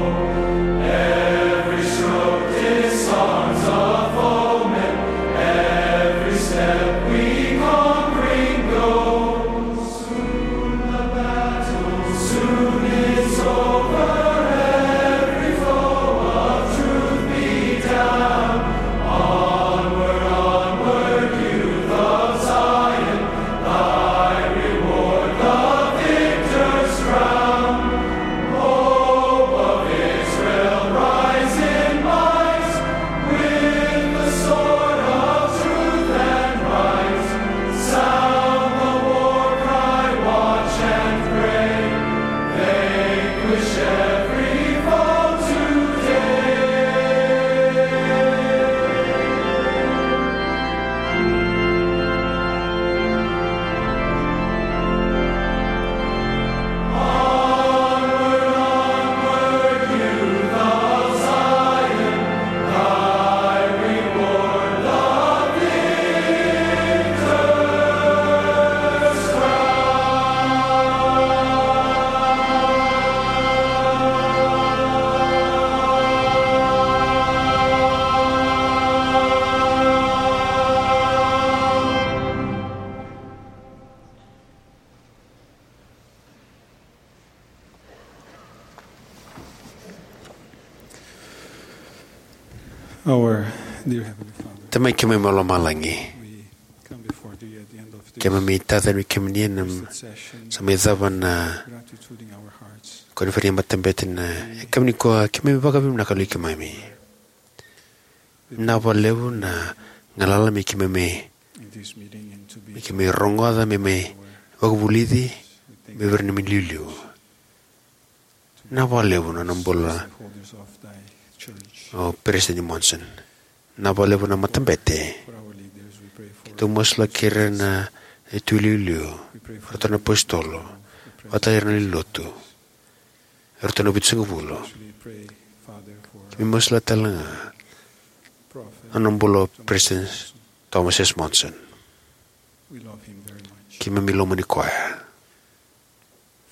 Every stroke disarms a foeman, every step we conquering go. Soon the battle, soon it's over, every foe of truth be down. Onward, onward, youth of Zion, thy reward the victor's crown. Hope of Israel, rise in might, with the sword of truth and right. Sound the war cry, watch and pray. Vanquish every foe today. Our dear Heavenly Father, Tamai keimami mai lomalagi, we come before thee at the end of this keimami tacani vei kemuni ena fifth session, sa mai cava na gratitude in our hearts. Koniferedi ni matabete na yakavi nikua, keimami vakavinavinaka, Kalou keimami. Vinaka vakalevu na galala me keimami, in this meeting and to be me keimami rogoca, me mai vakavulici, me vei ira na neimami iliuliu. Vinaka vakalevu na nona bula, holders of thy church, o Peresitedi Monson. Vinaka vakalevu na matabete. For our leaders, we pray for keitou masulaki ira na neitou iliuliu, we pray for ratou na apositolo, vata ira na lewe ni lotu, ratou na vitusagavulu. We pray, Father, for keimami masulaki tale ga Prophet na nona bula o Thomas Peresitedi Thomas S. Monson. We love him very much. Keimami lomani koya.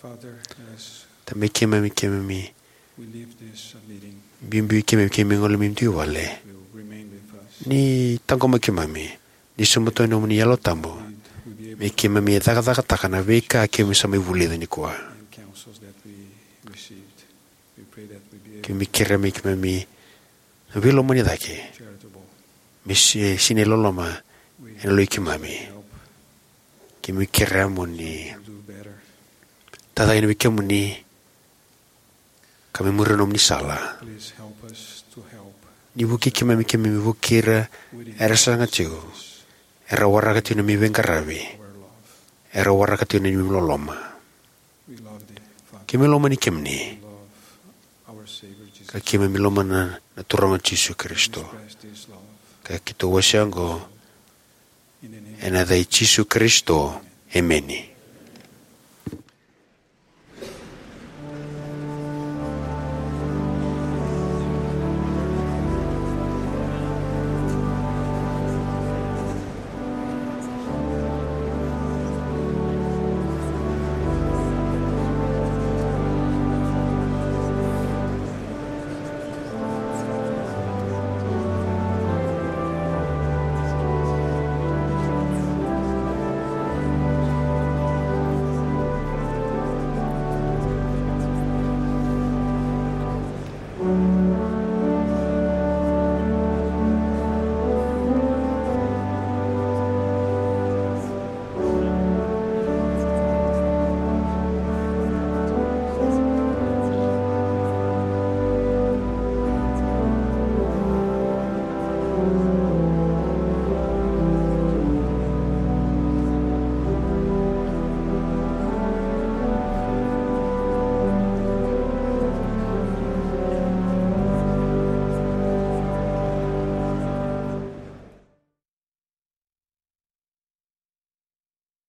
Father, as Tamai keimami, keimami we leave this, uh, meeting, biubiu keimami, keimami gole mai noda vale, will remain with us. Ni taqomaki keimami, ni sobuta na nomuni Yalo Tabu, and we'll be able me keimami cakacakataka na veika keimami sa mai vulica nikua. And counsels that we received. We pray that we be able keimami kerea me keimami na veilomani cake, charitable, me si-, sinai loloma, with ena loi keimami help, keimami kerea mo ni do better, tacake yani vei kemuni, ka me muria na nomuni sala. Please help us to help. Ni vukei keimami, keimami vukei ira era saga tiko, era waraka tiko na neimami veiqaravi, our love, era waraka tiko na neimami loloma. We love thee, Father. Keimami lomani kemuni. We love our Savior Jesus. Ka keimami lomana na Turaga o Jisu Karisito. Express this love. Ka keitou wasea oqo ena yaca i Jisu Karisito. Emeni.